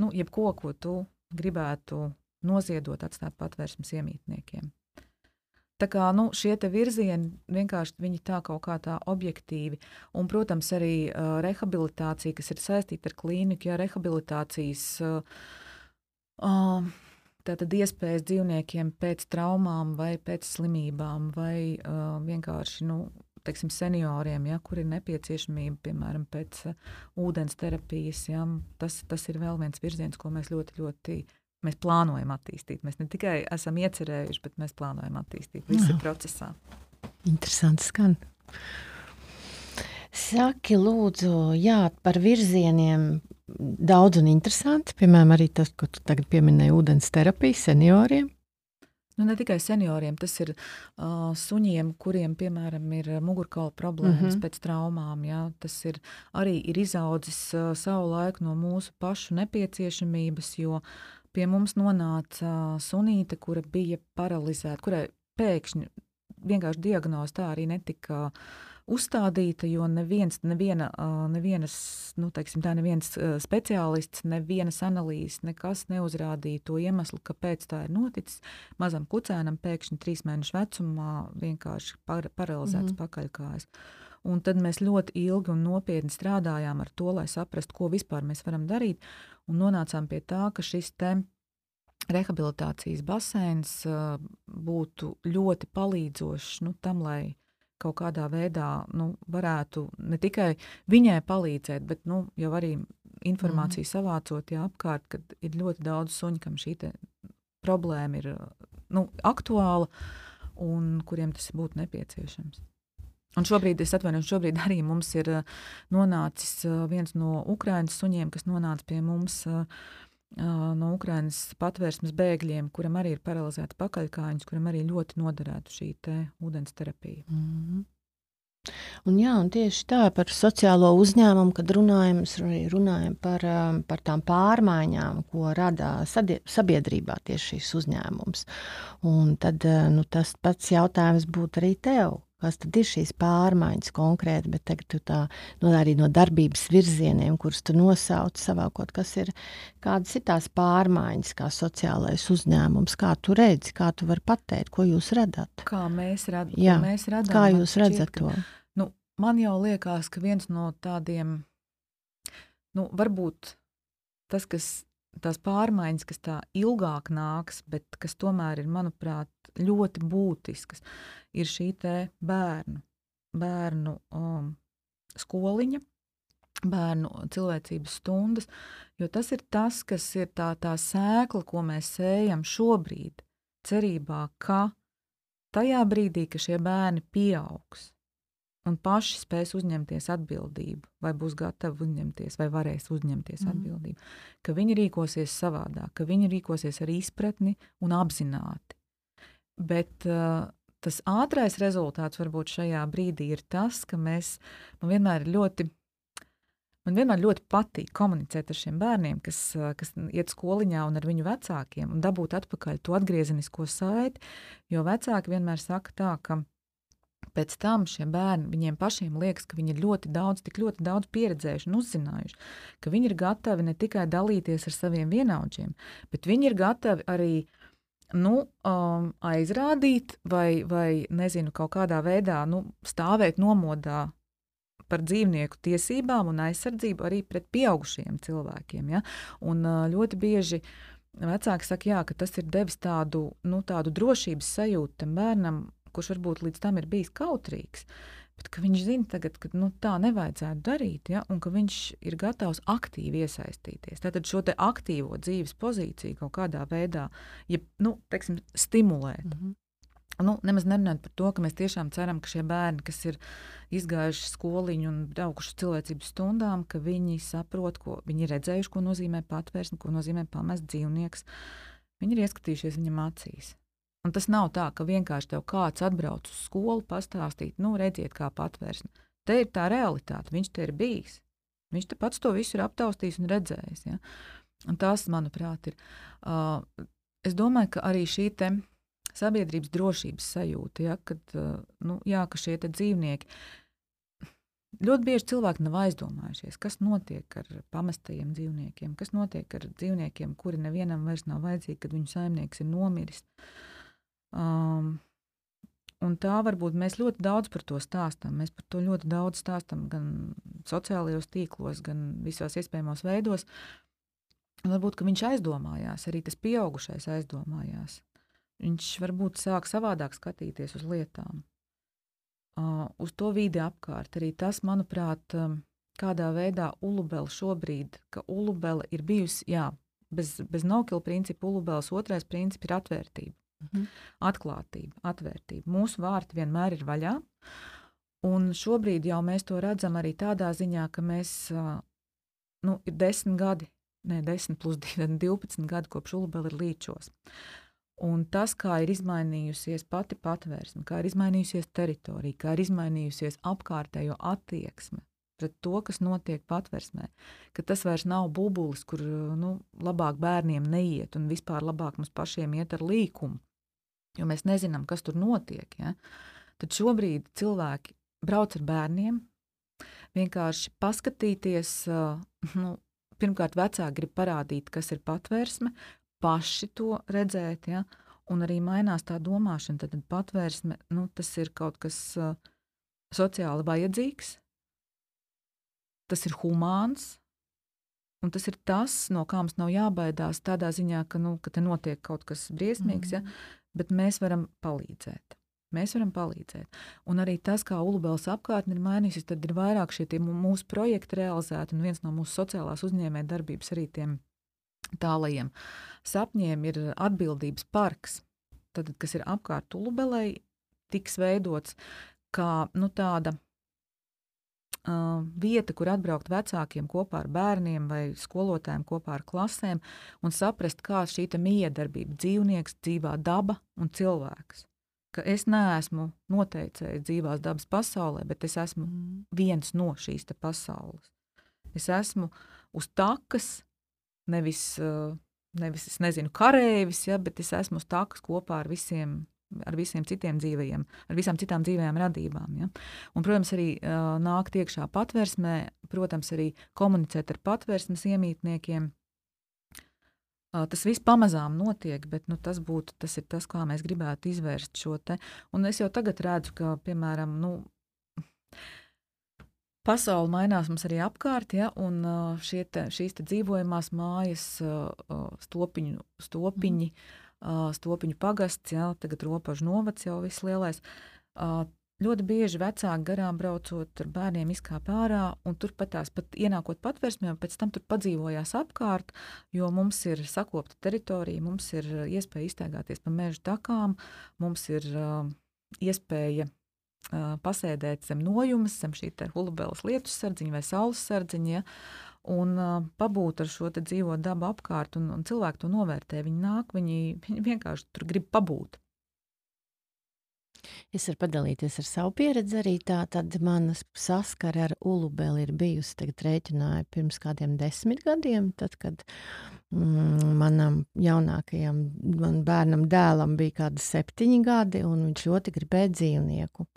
Nu, jebko, ko tu gribētu noziedot, atstāt patvērsmes iemītniekiem. Tā kā nu, šie te virzieni vienkārši viņi tā kaut kā tā objektīvi. Un, protams, arī uh, rehabilitācija, kas ir saistīta ar klīniku, ja rehabilitācijas uh, uh, tātad iespējas dzīvniekiem pēc traumām vai pēc slimībām vai uh, vienkārši, nu, teiksim, senioriem, ja, kur ir nepieciešamība, piemēram, pēc uh, ūdens terapijas, ja, tas, tas ir vēl viens virziens, ko mēs ļoti, ļoti mēs plānojam attīstīt. Mēs ne tikai esam iecerējuši, bet mēs plānojam attīstīt. Viss ir procesā. Interesanti skan. Saki, lūdzu, jā, par virzieniem daudz un interesanti. Piemēram, arī tas, ko tu tagad pieminēji, ūdens terapija senioriem. Nu, ne tikai senioriem, tas ir uh, suņiem, kuriem, piemēram, ir mugurkaula problēmas mm-hmm. pēc traumām. Jā. Tas ir arī ir izaudzis uh, savu laiku no mūsu pašu nepieciešamības, jo pie mums nonāca sunīte, kura bija paralizēta, kurai pēkšņi vienkārši diagnoze tā arī netika uzstādīta, jo neviens, neviena, nevienas, nu, teiksim tā, neviens speciālists, nevienas analīzes, nekas neuzrādīja to iemeslu, kāpēc tā ir noticis. Mazam kucēnam pēkšņi trīs mēnešu vecumā vienkārši par, paralizēts mm-hmm. pakaļkājas. Un tad mēs ļoti ilgi un nopietni strādājām ar to, lai saprastu, ko vispār mēs varam darīt. Un nonācām pie tā, ka šis te rehabilitācijas baseins uh, būtu ļoti palīdzošs nu, tam, lai kaut kādā veidā nu, varētu ne tikai viņai palīdzēt, bet nu, jau arī informāciju mm. savācot jā, apkārt, kad ir ļoti daudz suņu, kam šī te problēma ir nu, aktuāla un kuriem tas būtu nepieciešams. Un šobrīd, es atvainojos, šobrīd arī mums ir nonācis viens no Ukrainas suņiem, kas nonāca pie mums no Ukrainas patvērsmes bēgļiem, kuram arī ir paralizēta pakaļkājas, kuram arī ļoti noderētu šī te ūdens terapija. Mm-hmm. Un jā, un tieši tā par sociālo uzņēmumu, kad runājam, runājam par, par tām pārmaiņām, ko rada sabiedrībā tieši šīs uzņēmums. Un tad nu, tas pats jautājums būtu arī tev. Kas tad ir šīs pārmaiņas konkrēti, bet tagad tu tā no, arī no darbības virzieniem, kurus tu nosauc savākot, kas ir, kādas ir tās pārmaiņas, kā sociālais uzņēmums, kā tu redzi, kā tu vari pateikt, ko jūs radat? Kā mēs, rad, Jā, mēs radam? Kā jūs redzat to? Nu, man jau liekas, ka viens no tādiem, nu, varbūt tas, kas, tās pārmaiņas, kas tā ilgāk nāks, bet kas tomēr ir, manuprāt, ļoti būtiskas, ir šī te bērnu, bērnu um, skoliņa, bērnu cilvēcības stundas, jo tas ir tas, kas ir tā, tā sēkla, ko mēs sējam šobrīd, cerībā, ka tajā brīdī, ka šie bērni pieaugs un paši spēs uzņemties atbildību, vai būs gatavi uzņemties, vai varēs uzņemties mm. atbildību, ka viņi rīkosies savādāk, ka viņi rīkosies ar izpratni un apzināti. Bet uh, tas ātrais rezultāts varbūt šajā brīdī ir tas, ka mēs, man vienmēr ļoti, man vienmēr ļoti patīk komunicēt ar šiem bērniem, kas, kas iet skoliņā un ar viņu vecākiem un dabūt atpakaļ to atgriezenisko saiti, jo vecāki vienmēr saka tā, ka pēc tam šie bērni, viņiem pašiem liekas, ka viņi ir ļoti daudz, tik ļoti daudz pieredzējuši un uzzinājuši, ka viņi ir gatavi ne tikai dalīties ar saviem vienaudžiem, bet viņi ir gatavi arī nu, um, aizrādīt vai, vai, nezinu, kaut kādā veidā nu, stāvēt nomodā par dzīvnieku tiesībām un aizsardzību arī pret pieaugušiem cilvēkiem. Ja? Un uh, ļoti bieži vecāki saka, jā, ka tas ir devis tādu, nu, tādu drošības sajūtu tam bērnam, kurš varbūt līdz tam ir bijis kautrīgs, bet ka viņš zina tagad, ka nu, tā nevajadzētu darīt, ja? Un ka viņš ir gatavs aktīvi iesaistīties. Tātad šo te aktīvo dzīves pozīciju kaut kādā veidā, ja, nu, teiksim, stimulēt. Mm-hmm. Nu, nemaz nerunājot par to, ka mēs tiešām ceram, ka šie bērni, kas ir izgājuši skoliņu un braukuši cilvēcības stundām, ka viņi saprot, ko viņi ir redzējuši, ko nozīmē patvērsme, ko nozīmē pamest dzīvnieks. Viņi ir ieskatījušies viņam acīs. Un tas nav tā, ka vienkārši tev kāds atbrauc uz skolu pastāstīt, nu, redziet, kā patvērsme. Te ir tā realitāte, viņš te ir bijis. Viņš te pats to visu ir aptaustījis un redzējis. Ja? Un tas, manuprāt, ir. Uh, es domāju, ka arī šī te sabiedrības drošības sajūta, ja, kad, uh, nu, jā, ka šie te dzīvnieki, ļoti bieži cilvēki nav aizdomājušies, kas notiek ar pamestajiem dzīvniekiem, kas notiek ar dzīvniekiem, kuri nevienam vairs nav vajadzīgi, kad viņu saimnieks ir nomiris. Um, un tā varbūt mēs ļoti daudz par to stāstam. Mēs par to ļoti daudz stāstam gan sociālajos tīklos, gan visos iespējamos veidos. Un varbūt, ka viņš aizdomājās, arī tas pieaugušais aizdomājās. Viņš varbūt sāk savādāk skatīties uz lietām, uh, uz to vidi apkārt. Arī tas, manuprāt, um, kādā veidā Ulubele šobrīd, ka Ulubele ir bijusi, jā, bez, bez no-kill principa Ulubeles otrais princips ir atvērtība. Mm-hmm. Atklātība, atvērtība. Mūsu vārti vienmēr ir vaļā, un šobrīd jau mēs to redzam arī tādā ziņā, ka mēs, nu, ir desmit gadi, ne, desmit plus divpadsmit gadi, kopš Ulubele ir līčos. Un tas, kā ir izmainījusies pati patvērsme, kā ir izmainījusies teritorija, kā ir izmainījusies apkārtējo attieksme pret to, kas notiek patversmē, ka tas vairs nav bubulis, kur, nu, labāk bērniem neiet un vispār labāk mums pašiem iet ar līkumu, jo mēs nezinām, kas tur notiek. Ja? Tad šobrīd cilvēki brauc ar bērniem, vienkārši paskatīties, nu, pirmkārt vecāki grib parādīt, kas ir patvērsme, paši to redzēt, ja? Un arī mainās tā domāšana, tad patvērsme, nu, tas ir kaut kas sociāli vajadzīgs, tas ir humāns, un tas ir tas, no kā mums nav jābaidās tādā ziņā, ka, nu, ka te notiek kaut kas briesmīgs, mm. ja, bet mēs varam palīdzēt. Mēs varam palīdzēt. Un arī tas, kā Ulubeles apkārtne ir mainījusies, tad ir vairāk šie mūsu projekti realizēti, un viens no mūsu sociālās uzņēmē darbības arī tiem tālajiem sapņiem ir atbildības parks, tad, kas ir apkārt Ulubelei, tiks veidots kā nu, tāda uh, vieta, kur atbraukt vecākiem kopā ar bērniem vai skolotājiem kopā ar klasēm un saprast, kā šī miedarbība dzīvnieks, dzīvā daba un cilvēks. Ka es neesmu noteicējis dzīvās dabas pasaulē, bet es esmu mm. viens no šīs te pasaules. Es esmu uz takas, nevis, nevis es nezinu, karēvis, ja, bet es esmu uz takas kopā ar visiem, ar visiem citiem dzīvajiem, ar visām citām dzīvajām radībām. Ja. Un, protams, arī uh, nākt iekšā patversmē, protams, arī komunicēt ar patversmes iemītniekiem. Tas viss pamazām notiek, bet nu, tas, būtu, tas ir tas, kā mēs gribētu izvērst šo te. Un es jau tagad redzu, ka, piemēram, nu, pasaule mainās mums arī apkārt, ja, un šie te, šīs te dzīvojamās mājas, stopiņu, stopiņi, stopiņu pagasts, ja, tagad Ropažu novads jau viss lielais. Ļoti bieži vecāki garām braucot ar bērniem izkāp ārā, un turpat tās pat ienākot patversmē, un pēc tam tur padzīvojās apkārt, jo mums ir sakopta teritorija, mums ir iespēja iztaigāties pa meža takām, mums ir uh, iespēja uh, pasēdēt zem nojumes, zem šī te Ulubeles lietus sardziņa vai saules sardziņa, ja, un uh, pabūt ar šo te dzīvo dabu apkārt, un, un cilvēki to novērtē. Viņi nāk, viņi, viņi vienkārši tur grib pabūt. Es varu padalīties ar savu pieredzi arī tā, tad manas saskara ar Ulubeli ir bijusi, tagad rēķināju, pirms kādiem desmit gadiem, tad, kad mm, manam jaunākajam, man bērnam dēlam bija kādi septiņi gadi, un viņš ļoti gribēja dzīvnieku.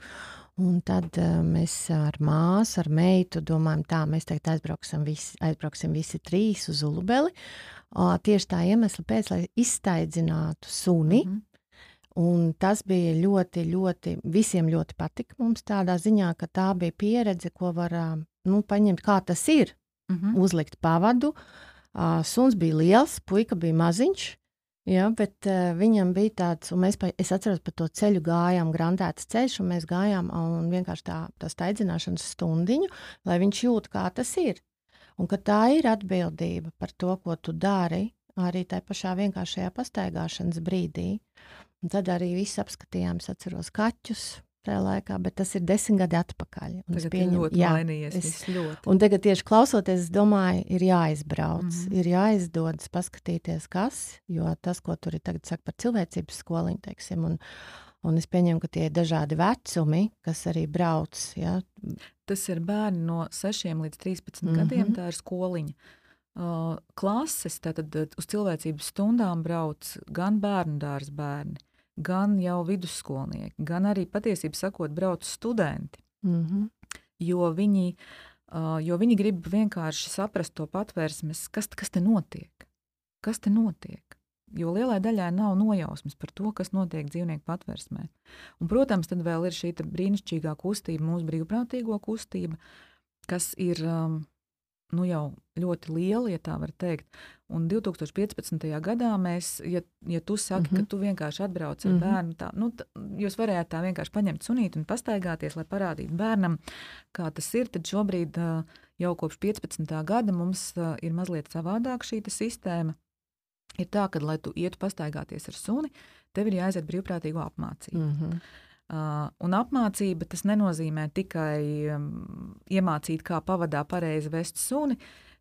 Un tad uh, mēs ar māsu, ar meitu domājam tā, mēs tagad aizbrauksim visi, aizbrauksim visi trīs uz Ulubeli, uh, tieši tā iemesla pēc, lai izstaidzinātu suni. Mm-hmm. Un tas bija ļoti, ļoti, visiem ļoti patika mums tādā ziņā, ka tā bija pieredze, ko var nu, paņemt, kā tas ir, mm-hmm. uzlikt pavadu. Uh, suns bija liels, puika bija maziņš, ja, bet uh, viņam bija tāds, un mēs, pa, es atceros, pa to ceļu gājām, grandētas ceļš, un mēs gājām un vienkārši tā, tā staidzināšanas stundiņu, lai viņš jūt, kā tas ir. Un ka tā ir atbildība par to, ko tu dari, arī tai pašā vienkāršajā pastaigāšanas brīdī. Un tad arī viss apskatījām, es atceros kaķus tajā laikā, bet tas ir desmit gadi atpakaļ. Un tagad pieņem, ir ļoti jā, mainījies, es, viss ļoti. Un tagad tieši klausoties, es domāju, ir jāizbrauc, mm-hmm. ir jāizdodas paskatīties, kas, jo tas, ko tur ir tagad saka par cilvēcības skoliņu, teiksim, un, un es pieņemu, ka tie ir dažādi vecumi, kas arī brauc. Ja. Tas ir bērni no sešiem līdz trīspadsmit mm-hmm. gadiem, tā ir skoliņa. Uh, klases, tātad uz cilvēcības stundām brauc gan bērnu dārza bērni, gan jau vidusskolnieki, gan arī patiesībā sakot brauc studenti, mm-hmm. jo, viņi, uh, jo viņi grib vienkārši saprast to patvērsmes, kas, kas te notiek, kas te notiek, jo lielai daļai nav nojausmas par to, kas notiek dzīvnieku patvērsmē. Un, protams, tad vēl ir šī brīnišķīgā kustība, mūsu brīvprātīgo kustība, kas ir um, nu jau ļoti liela, ja tā var teikt. Un divtūkstoš piecpadsmitajā gadā mēs, ja, ja tu saki, mm-hmm. ka tu vienkārši atbrauc ar mm-hmm. bērnu, tā, nu, tā, jūs varētu tā vienkārši paņemt sunīti un pastaigāties, lai parādītu bērnam, kā tas ir, tad šobrīd jau kopš piecpadsmitā gada mums ir mazliet savādāk šī sistēma. Ir tā, ka, lai tu ietu pastaigāties ar suni, tev ir jāaiziet brīvprātīgo apmācību. Mm-hmm. Uh, un apmācība tas nenozīmē tikai um, iemācīt, kā pavadā pareizi vest suni,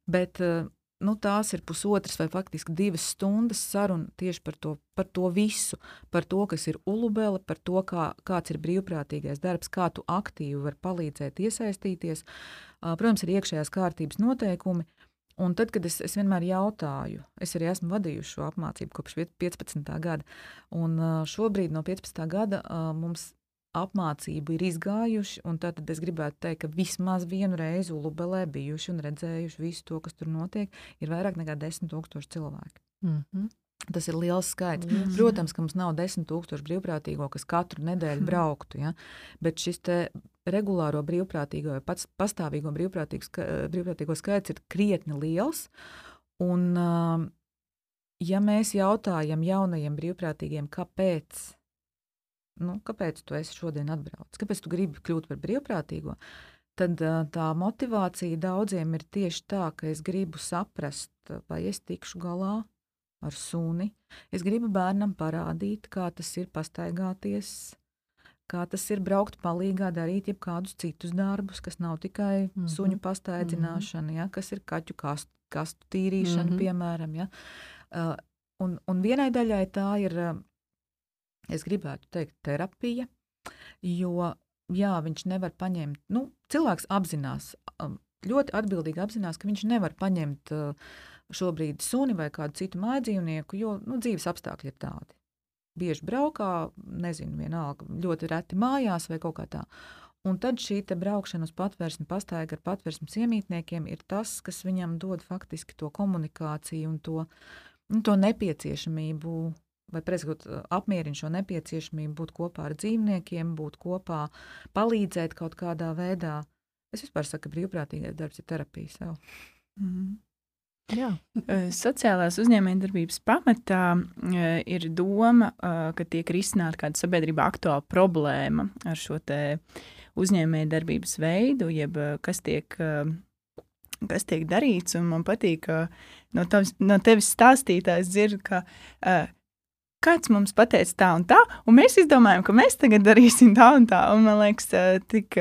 bet uh, nu, tās ir pusotras vai faktiski divas stundas saruna tieši par to, par to visu, par to, kas ir Ulubele, par to, kā, kāds ir brīvprātīgais darbs, kā tu aktīvi vari palīdzēt iesaistīties. Uh, protams, ir iekšējās kārtības noteikumi. Un tad, kad es, es vienmēr jautāju, es arī esmu vadījuši šo apmācību kopš piecpadsmitā gada, un uh, šobrīd no piecpadsmitā gada uh, mums apmācību ir izgājuši, un tad es gribētu teikt, ka vismaz vienu reizi Ulubelē bijuši un redzējuši visu to, kas tur notiek, ir vairāk nekā desmit tūkstoši cilvēki. Mm-hmm. Tas ir liels skaits. Mm-hmm. Protams, ka mums nav desmit tūkstoši brīvprātīgo, kas katru nedēļu brauktu, ja? Bet šis te regulāro brīvprātīgo vai pats pastāvīgo brīvprātīgo, ska, brīvprātīgo skaits ir krietni liels. Un, ja mēs jautājam jaunajiem brīvprātīgiem, kāpēc, nu, kāpēc tu esi šodien atbraucis, kāpēc tu gribi kļūt par brīvprātīgo, tad tā motivācija daudziem ir tieši tā, ka es gribu saprast, vai es tikšu galā ar suni. Es gribu bērnam parādīt, kā tas ir pastaigāties, kā tas ir braukt palīgā, darīt jebkādus citus darbus, kas nav tikai mm-hmm. suņu pastaidzināšana, ja, kas ir kaķu kastu, kastu tīrīšana, mm-hmm. piemēram. Ja. Uh, un, un vienai daļai tā ir, uh, es gribētu teikt, terapija, jo, jā, viņš nevar paņemt, nu, cilvēks apzinās, um, ļoti atbildīgi apzinās, ka viņš nevar paņemt uh, šobrīd suni vai kādu citu mājdzīvnieku, jo, nu, dzīves apstākļi ir tādi. Bieži braukā, nezinu, vienalga, ļoti reti mājās vai kaut kā tā. Un tad šī te braukšana uz patvērsmi, pastaiga ar patvērsmes iemītniekiem ir tas, kas viņam dod faktiski to komunikāciju un to, nu, to nepieciešamību, vai prezgot apmierina šo nepieciešamību būt kopā ar dzīvniekiem, būt kopā, palīdzēt kaut kādā veidā. Es vispār saku, ka brīvprātīgais darbs ir terapija sev. Mm-hmm. Jā. Sociālās uzņēmējdarbības pamatā ir doma, ka tiek risināta kāda sabiedrībā aktuāla problēma ar šo te uzņēmējdarbības veidu, jeb kas tiek, kas tiek darīts, un man patīk, ka no, tavs, no tevis stāstītājs dzird, ka kāds mums pateica tā un tā, un mēs izdomājam, ka mēs tagad darīsim tā un tā, un man liekas, tik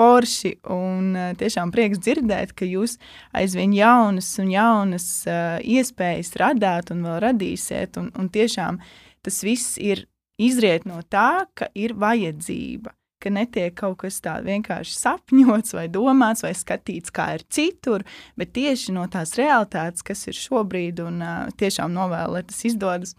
forši un tiešām prieks dzirdēt, ka jūs aizvien jaunas un jaunas uh, iespējas radāt un vēl radīsiet, un, un tiešām tas viss ir izriet no tā, ka ir vajadzība, ka netiek kaut kas tā vienkārši sapņots vai domāts vai skatīts, kā ir citur, bet tieši no tās realitātes, kas ir šobrīd, un uh, tiešām novēlu, lai tas izdodas.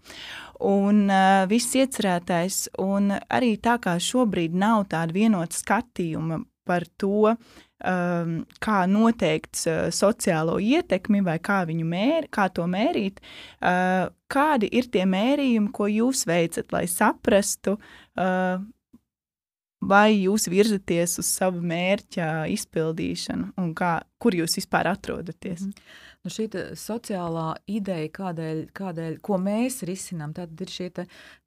Un uh, viss iecerētais, un arī tā kā šobrīd nav tāda vienota skatījuma par to, um, kā noteikt uh, sociālo ietekmi vai kā viņu mēri, kā to mērīt, uh, kādi ir tie mērījumi, ko jūs veicat, lai saprastu, uh, vai jūs virzaties uz savu mērķa izpildīšanu un kā, kur jūs vispār atrodaties? Mm. Nu, šī sociālā ideja, kādēļ, kādēļ, ko mēs risinām, tad ir šie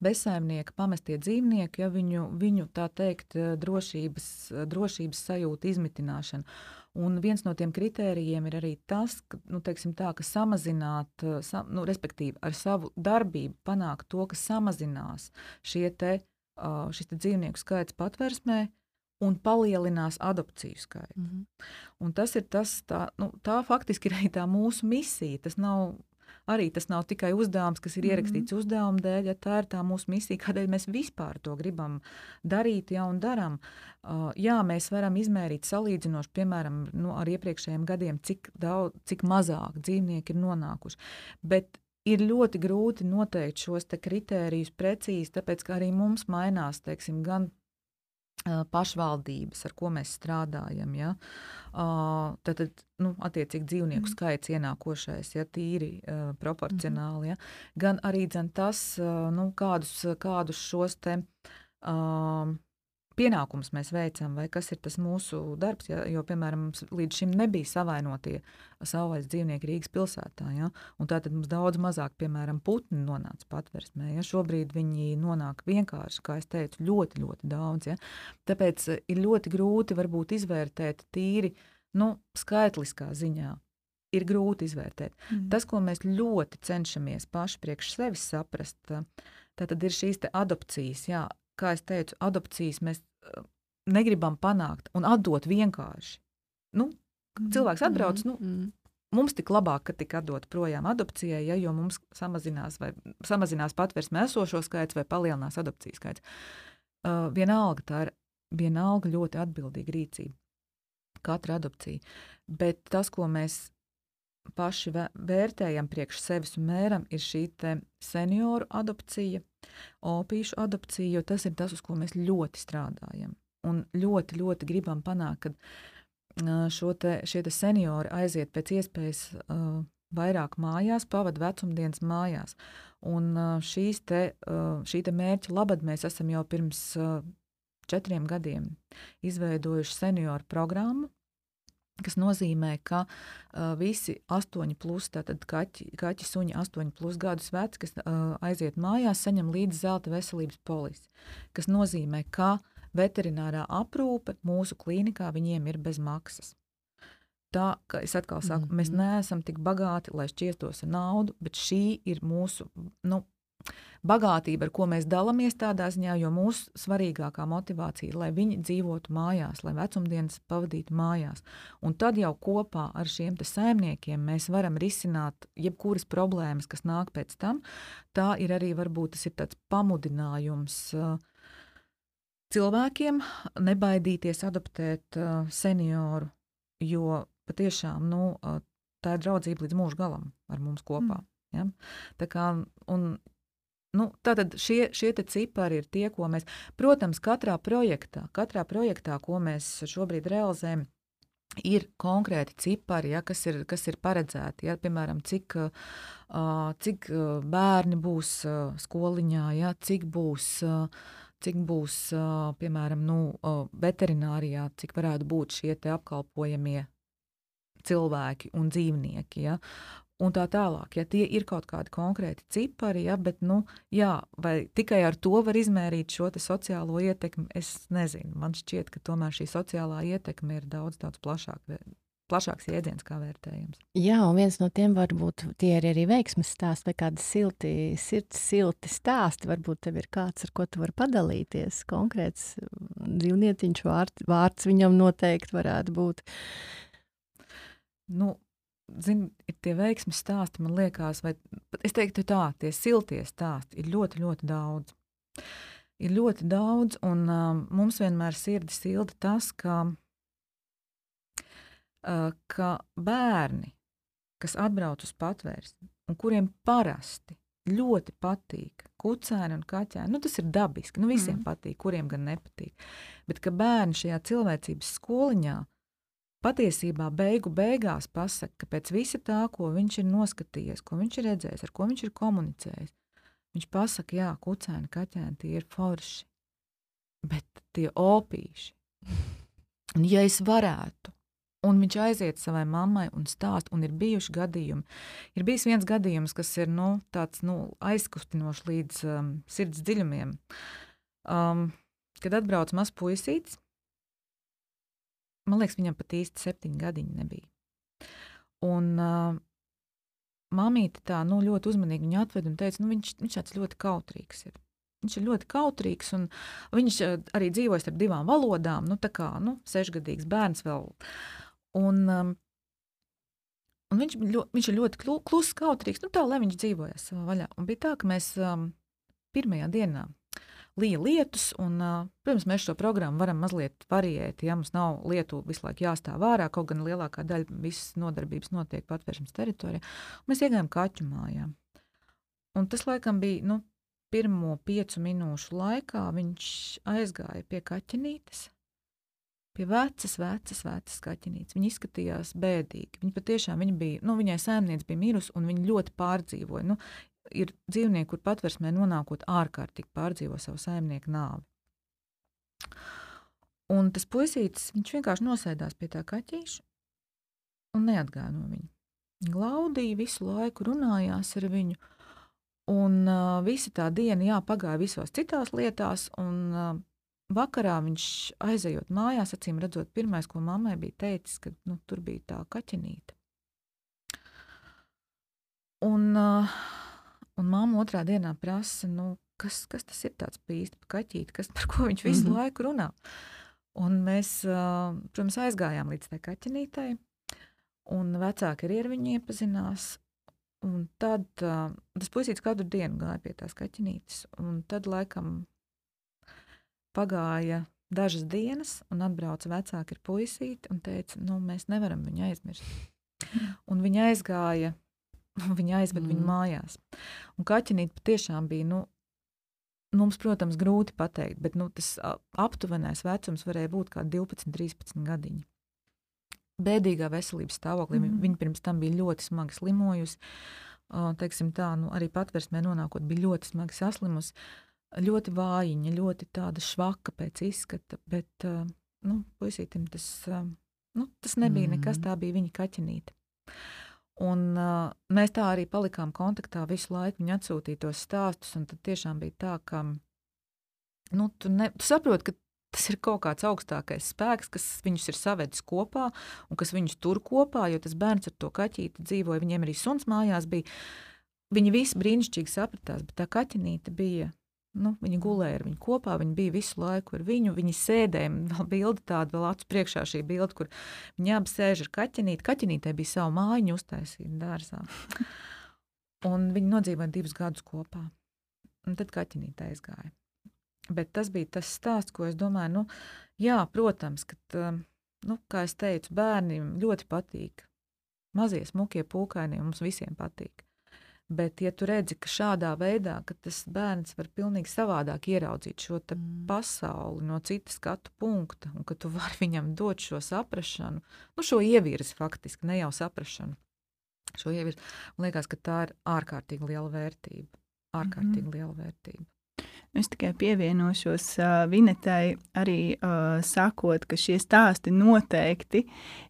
bezsaimnieki, pamestie dzīvnieki, ja viņu, viņu tā teikt, drošības, drošības sajūta izmitināšana. Un viens no tiem kritērijiem ir arī tas, ka, nu, teiksim tā, ka samazināt, sa, nu, respektīvi ar savu darbību panākt to, ka samazinās šie te, šis te dzīvnieku skaits patversmē, un palielinās adopciju skaitu. Mm-hmm. Un tas ir tas, tā, nu, tā faktiski ir arī tā mūsu misija. Tas nav, arī tas nav tikai uzdevums, kas ir ierakstīts mm-hmm. uzdevuma dēļ, ja tā ir tā mūsu misija, kādēļ mēs vispār to gribam darīt, ja un daram. Uh, jā, mēs varam izmērīt salīdzinoši, piemēram, nu, ar iepriekšējiem gadiem, cik daudz, cik mazāk dzīvnieki ir nonākuši. Bet ir ļoti grūti noteikt šos te kritērijus precīzi, tāpēc, ka arī mums mainās, teiksim, gan pašvaldības, ar ko mēs strādājam, ja, uh, tad, tad, nu, attiecīgi dzīvnieku skaits ienākošais, ja, tīri uh, proporcionāli, ja, gan arī dzen tas, uh, nu, kādus, kādus šos te uh, pienākumus mēs veicam, vai kas ir tas mūsu darbs, ja, jo, piemēram, mums līdz šim nebija savainotie savvaļas dzīvnieki Rīgas pilsētā, ja, un tātad mums daudz mazāk, piemēram, putni nonāca patversmē, ja, šobrīd viņi nonāk vienkārši, kā es teicu, ļoti, ļoti daudz, ja, tāpēc ir ļoti grūti varbūt izvērtēt tīri, nu, skaitliskā ziņā, ir grūti izvērtēt. Mm. Tas, ko mēs ļoti cenšamies paši priekš sevis saprast, tātad ir šīs te adopcijas, jā, kā es teicu, adopcijas mēs negribam panākt un atdot vienkārši. Nu, cilvēks atbrauc, nu, mums tik labāk, ka tik atdot projām adopcijai, ja, jo mums samazinās, vai, samazinās patversmē esošo skaits vai palielinās adopcijas skaits. Uh, vienalga, tā ir vienalga ļoti atbildīga rīcība. Katra adopcija. Bet tas, ko mēs paši vērtējam priekš sevis un mēram, ir šī te senioru adopcija, opīšu adopcija, jo tas ir tas, uz ko mēs ļoti strādājam. Un ļoti, ļoti gribam panākt, ka šo te, šie te seniori aiziet pēc iespējas uh, vairāk mājās, pavad vecumdienas mājās. Un uh, šīs te, uh, šī te mērķa labad mēs esam jau pirms uh, četriem gadiem izveidojuši senioru programmu, kas nozīmē, ka uh, visi astoņi plus, tātad kaķi, kaķi suņi astoņi plus gadus veci, kas uh, aiziet mājās, saņem līdzi zelta veselības polisi, kas nozīmē, ka veterinārā aprūpe mūsu klīnikā viņiem ir bez maksas. Tā, ka es atkal saku, mm-hmm. mēs neesam tik bagāti, lai šķiestos ar naudu, bet šī ir mūsu, nu, bagātība, ar ko mēs dalamies tādā ziņā, jo mūsu svarīgākā motivācija ir, lai viņi dzīvotu mājās, lai vecumdienas pavadītu mājās. Un tad jau kopā ar šiem te saimniekiem mēs varam risināt jebkuras problēmas, kas nāk pēc tam. Tā ir arī, varbūt tas ir tāds pamudinājums uh, cilvēkiem nebaidīties adoptēt uh, senioru, jo patiešām, nu, uh, tā ir draudzība līdz mūža galam ar mums kopā. Mm. Ja? Tā kā, un Nu, tātad šie, šie te cipari ir tie, ko mēs, protams, katrā projektā, katrā projektā, ko mēs šobrīd realizējam, ir konkrēti cipari, ja, kas, ir, kas ir paredzēti. Ja, piemēram, cik, uh, cik bērni būs uh, skoliņā, ja, cik būs, uh, cik būs uh, piemēram, nu, uh, veterinārijā, cik varētu būt šie te apkalpojamie cilvēki un dzīvnieki. Ja. Un tā tālāk, ja tie ir kaut kādi konkrēti cipari, ja, bet, nu, jā, vai tikai ar to var izmērīt šo te sociālo ietekmi, es nezinu. Man šķiet, ka tomēr šī sociālā ietekme ir daudz, daudz plašāk, plašāks jēdziens kā vērtējums. Jā, un viens no tiem varbūt tie ir arī veiksmes stāsti vai kādi silti, sirds silti stāsti. Varbūt tev ir kāds, ar ko tu vari padalīties. Konkrēts dzīvnietiņš vārds, vārds viņam noteikti varētu būt. Nu, Zin, ir tie veiksmes stāsti, man liekas, vai es teiktu tā, tie siltie stāsti ir ļoti, ļoti daudz. Ir ļoti daudz, un um, mums vienmēr sirdi silda tas, ka, uh, ka bērni, kas atbrauc uz patvērsni, un kuriem parasti ļoti patīk kucēni un kaķēni, nu tas ir dabiski, nu visiem mm. patīk, kuriem gan nepatīk, bet ka bērni šajā cilvēcības skoliņā patiesībā beigu beigās pasaka, ka pēc visa tā, ko viņš ir noskatījies, ko viņš ir redzējis, ar ko viņš ir komunicējis, viņš pasaka, jā, kucēni, kaķēni, tie ir forši, bet tie opīši. Un ja es varētu, un viņš aiziet savai mammai un stāst, un ir bijuši gadījumi, ir bijis viens gadījums, kas ir, nu, tāds, nu, aizkustinoši līdz um, sirds dziļumiem, um, kad atbrauc maz puisītis. Man liekas, viņam pat īsti septiņi gadiņi nebija. Un uh, mamīte tā, nu, ļoti uzmanīgi viņu atveda un teica, nu, viņš, viņš tāds ļoti kautrīgs ir. Viņš ir ļoti kautrīgs, un viņš uh, arī dzīvoja starp divām valodām, nu, tā kā, nu, sešgadīgs bērns vēl. Un, um, un viņš, ļo, viņš ir ļoti kluss, kautrīgs, nu, tā, lai viņš dzīvojas savā vaļā. Un bija tā, ka mēs um, pirmajā dienā lija lietus, un, uh, protams, mēs šo programmu varam mazliet variēt, ja mums nav lietu visu laiku jāstāv ārā, kaut gan lielākā daļa visas nodarbības notiek patvēršanas teritorijā. Mēs iegājām kaķu mājā. Un tas, laikam, bija, nu, pirmo piecu minūšu laikā viņš aizgāja pie kaķenītes, pie vecas, vecas, vecas kaķenītes. Viņa izskatījās bēdīgi. Viņa patiešām, viņa bija, nu, viņai saimniece bija mirusi, un viņa ļoti pārdzīvoja. Nu, ir dzīvnieki, kur patversmē nonākot ārkārtīgi pārdzīvo savu saimnieku nāvi. Un tas puisītis, viņš vienkārši nosēdās pie tā kaķīša un neatgāja no viņa. Glaudīja visu laiku, runājās ar viņu, un uh, visa tā diena, jā, pagāja visos citās lietās, un uh, vakarā viņš aizejot mājās, acīm redzot, pirmais, ko mammai bija teicis, ka, nu, tur bija tā kaķenīte. Un... Uh, Un mamma otrā dienā prasa, nu, kas, kas tas ir tāds pīsti pa kaķīti, kas, par ko viņš visu mm-hmm. laiku runā. Un mēs, uh, protams, aizgājām līdz tai kaķenītei, un vecāki arī ar viņu iepazinās. Un tad uh, tas puisītis katru dienu gāja pie tās kaķenītes, un tad laikam pagāja dažas dienas, un atbrauca vecāki ar puisīti un teica, nu, mēs nevaram viņu aizmirst. Un viņa aizgāja, viņa aizved mm. viņu mājās. Un kaķenīte patiešām bija, nu, mums, protams, grūti pateikt, bet, nu, tas aptuvenais vecums varēja būt kā divpadsmit, trīspadsmit gadiņi. Bēdīgā veselības stāvoklī. Mm. Viņa pirms tam bija ļoti smagi slimojusi. Teiksim tā, nu, arī patversmē nonākot bija ļoti smagi saslimusi. ļoti vājiņa, ļoti tāda švaka pēc izskata, bet uh, nu, puisītim tas, uh, nu, tas nebija mm. nekas, tā bija viņa kaķenīte. Un uh, mēs tā arī palikām kontaktā visu laiku, viņa atsūtīja tos stāstus, un tad tiešām bija tā, ka nu, tu, ne, tu saproti, ka tas ir kaut kāds augstākais spēks, kas viņus ir savedis kopā un kas viņus tur kopā, jo tas bērns ar to kaķīti dzīvoja, viņiem arī suns mājās bija. Viņi visi brīnišķīgi sapratās, bet tā kaķenīte bija, nu, viņa gulēja ar viņu kopā, viņa bija visu laiku ar viņu, viņi sēdēja, vēl bildi tāda, vēl acu priekšā šī bilde, kur viņi abi sēž ar kaķenīti. Kaķenītei bija savu mājiņu uztaisīta dārzā. Un viņi nodzīvoja divus gadus kopā. Un tad kaķenīte aizgāja. Bet tas bija tas stāsts, ko es domāju, nu, jā, protams, ka, nu, kā es teicu, bērniem ļoti patīk. Mazie smukie pūkaini mums visiem patīk. Bet, ja tu redzi, ka šādā veidā, ka tas bērns var pilnīgi savādāk ieraudzīt šo te mm. pasauli no citas skatu punkta, un ka tu vari viņam dot šo saprašanu, nu, šo ievirzi faktiski, ne jau saprašanu, šo ievirzi, man liekas, ka tā ir ārkārtīgi liela vērtība, ārkārtīgi mm. liela vērtība. Es tikai pievienošos uh, Vinetai, arī uh, sakot, ka šie stāsti noteikti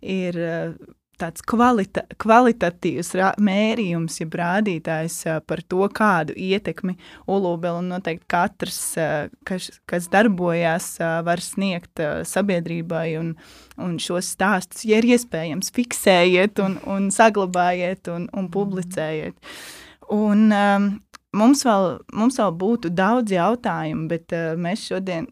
ir uh, tāds kvalita, kvalitatīvs rā, mērījums, ja rādītājs uh, par to, kādu ietekmi Ulūbele un noteikti katrs, uh, kas, kas darbojās, uh, var sniegt uh, sabiedrībai un, un šos stāstus, ja ir iespējams, fiksējiet un, un saglabājiet un, un publicējiet. Un um, Mums vēl, mums vēl būtu daudz jautājumu, bet uh, mēs šodien,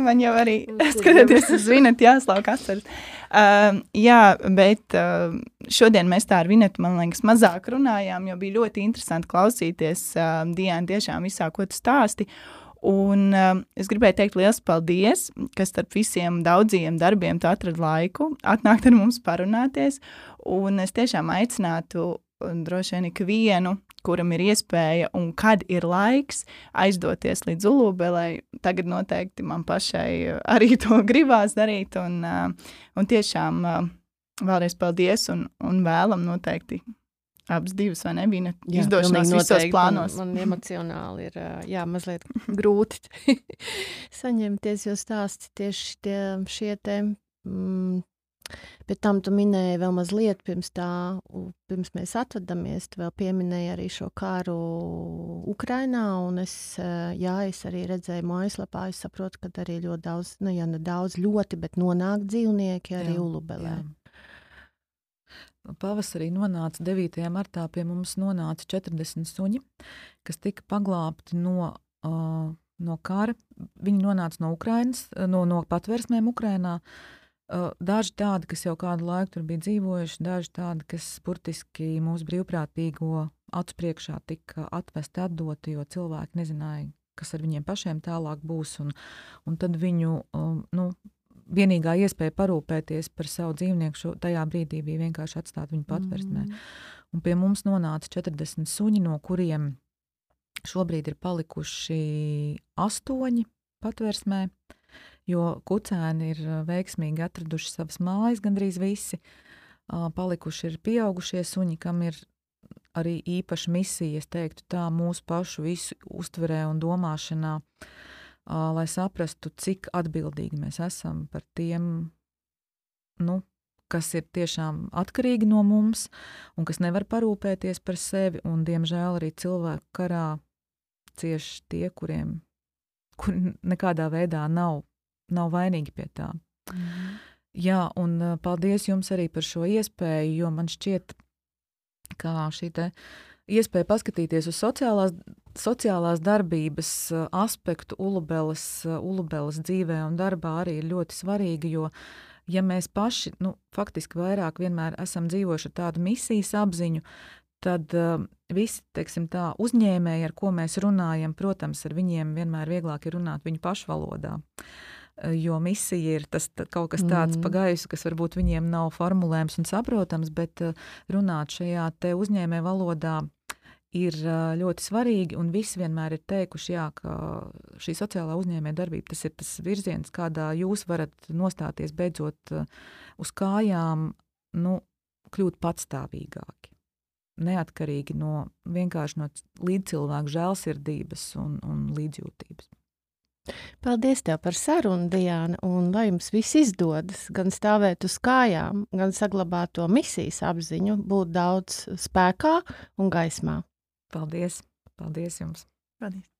man jau arī skatoties uz Vinetu jāslauk asaras. Uh, jā, bet uh, šodien mēs tā ar Vinetu, man liekas, mazāk runājām, jo bija ļoti interesanti klausīties uh, Diāna tiešām visā, ko tu stāsti. Un uh, es gribēju teikt liels paldies, ka starp visiem daudziem darbiem tu atradi laiku, atnākt ar mums parunāties, un es tiešām aicinātu un droši vien ikvienu, kuram ir iespēja un kad ir laiks aizdoties līdz Ulūbelei. Tagad noteikti man pašai arī to gribās darīt, un, un tiešām vēlreiz paldies un, un vēlam noteikti abas divas, vai nebija izdošanās visos plānos. Man, man emocionāli ir jā, mazliet grūti saņemties, jo stāsti tieši tie, šie te... Mm, Bet tam tu minēji vēl mazliet pirms tā, pirms mēs atvadamies, tu vēl pieminēji arī šo karu Ukrainā, un es, jā, es arī redzēju mājaslapā, es saprotu, ka arī ļoti daudz, nu jā, ne daudz ļoti, bet nonāk dzīvnieki arī Ulūbelē. Pavasarī nonāca devītajā martā pie mums nonāca četrdesmit suņi, kas tika paglābti no, uh, no kara. Viņi nonāca no Ukrainas, no, no patversmēm Ukrainā. Uh, daži tādi, kas jau kādu laiku tur bija dzīvojuši, daži tādi, kas burtiski mūsu brīvprātīgo acu priekšā tika atvesti, atdoti, jo cilvēki nezināja, kas ar viņiem pašiem tālāk būs. Un, un tad viņu, um, nu, vienīgā iespēja parūpēties par savu dzīvnieku šo, tajā brīdī bija vienkārši atstāt viņu patversmē. Mm. Un pie mums nonāca četrdesmit suņi, no kuriem šobrīd ir palikuši astoņi patversmē, jo kucēni ir veiksmīgi atraduši savas mājas, gandrīz visi. Palikuši ir pieaugušie suņi, kam ir arī īpaša misija, es teiktu tā, mūsu pašu visu uztverē un domāšanā, lai saprastu, cik atbildīgi mēs esam par tiem, nu, kas ir tiešām atkarīgi no mums un kas nevar parūpēties par sevi, un diemžēl arī cilvēku karā cieši tie, kuriem kuri nekādā veidā nav nav vainīgi pie tā. Mm. Jā, un paldies jums arī par šo iespēju, jo man šķiet, kā šī te iespēja paskatīties uz sociālās, sociālās darbības aspektu Ulūbeles, Ulūbeles dzīvē un darbā arī ir ļoti svarīga, jo ja mēs paši, nu, faktiski vairāk vienmēr esam dzīvojuši ar tādu misijas apziņu, tad uh, visi, teiksim tā, uzņēmēji, ar ko mēs runājam, protams, ar viņiem vienmēr vieglāk ir runāt viņu pašu valodā. Jo misija ir tas tā, kaut kas tāds mm. pa gaisu, kas varbūt viņiem nav formulējams un saprotams, bet runāt šajā te uzņēmē valodā ir ļoti svarīgi, un visi vienmēr ir teikuši, jā, ka šī sociālā uzņēmē darbība, tas ir tas virziens, kādā jūs varat nostāties beidzot uz kājām, nu, kļūt patstāvīgāki. neatkarīgi no vienkārši no līdzcilvēku žēlsirdības un, un līdzjūtības. Paldies tev par sarunu, Diāna, un lai jums viss izdodas, gan stāvēt uz kājām, gan saglabāt to misijas apziņu, būt daudz spēkā un gaismā. Paldies! Paldies jums! Paldies!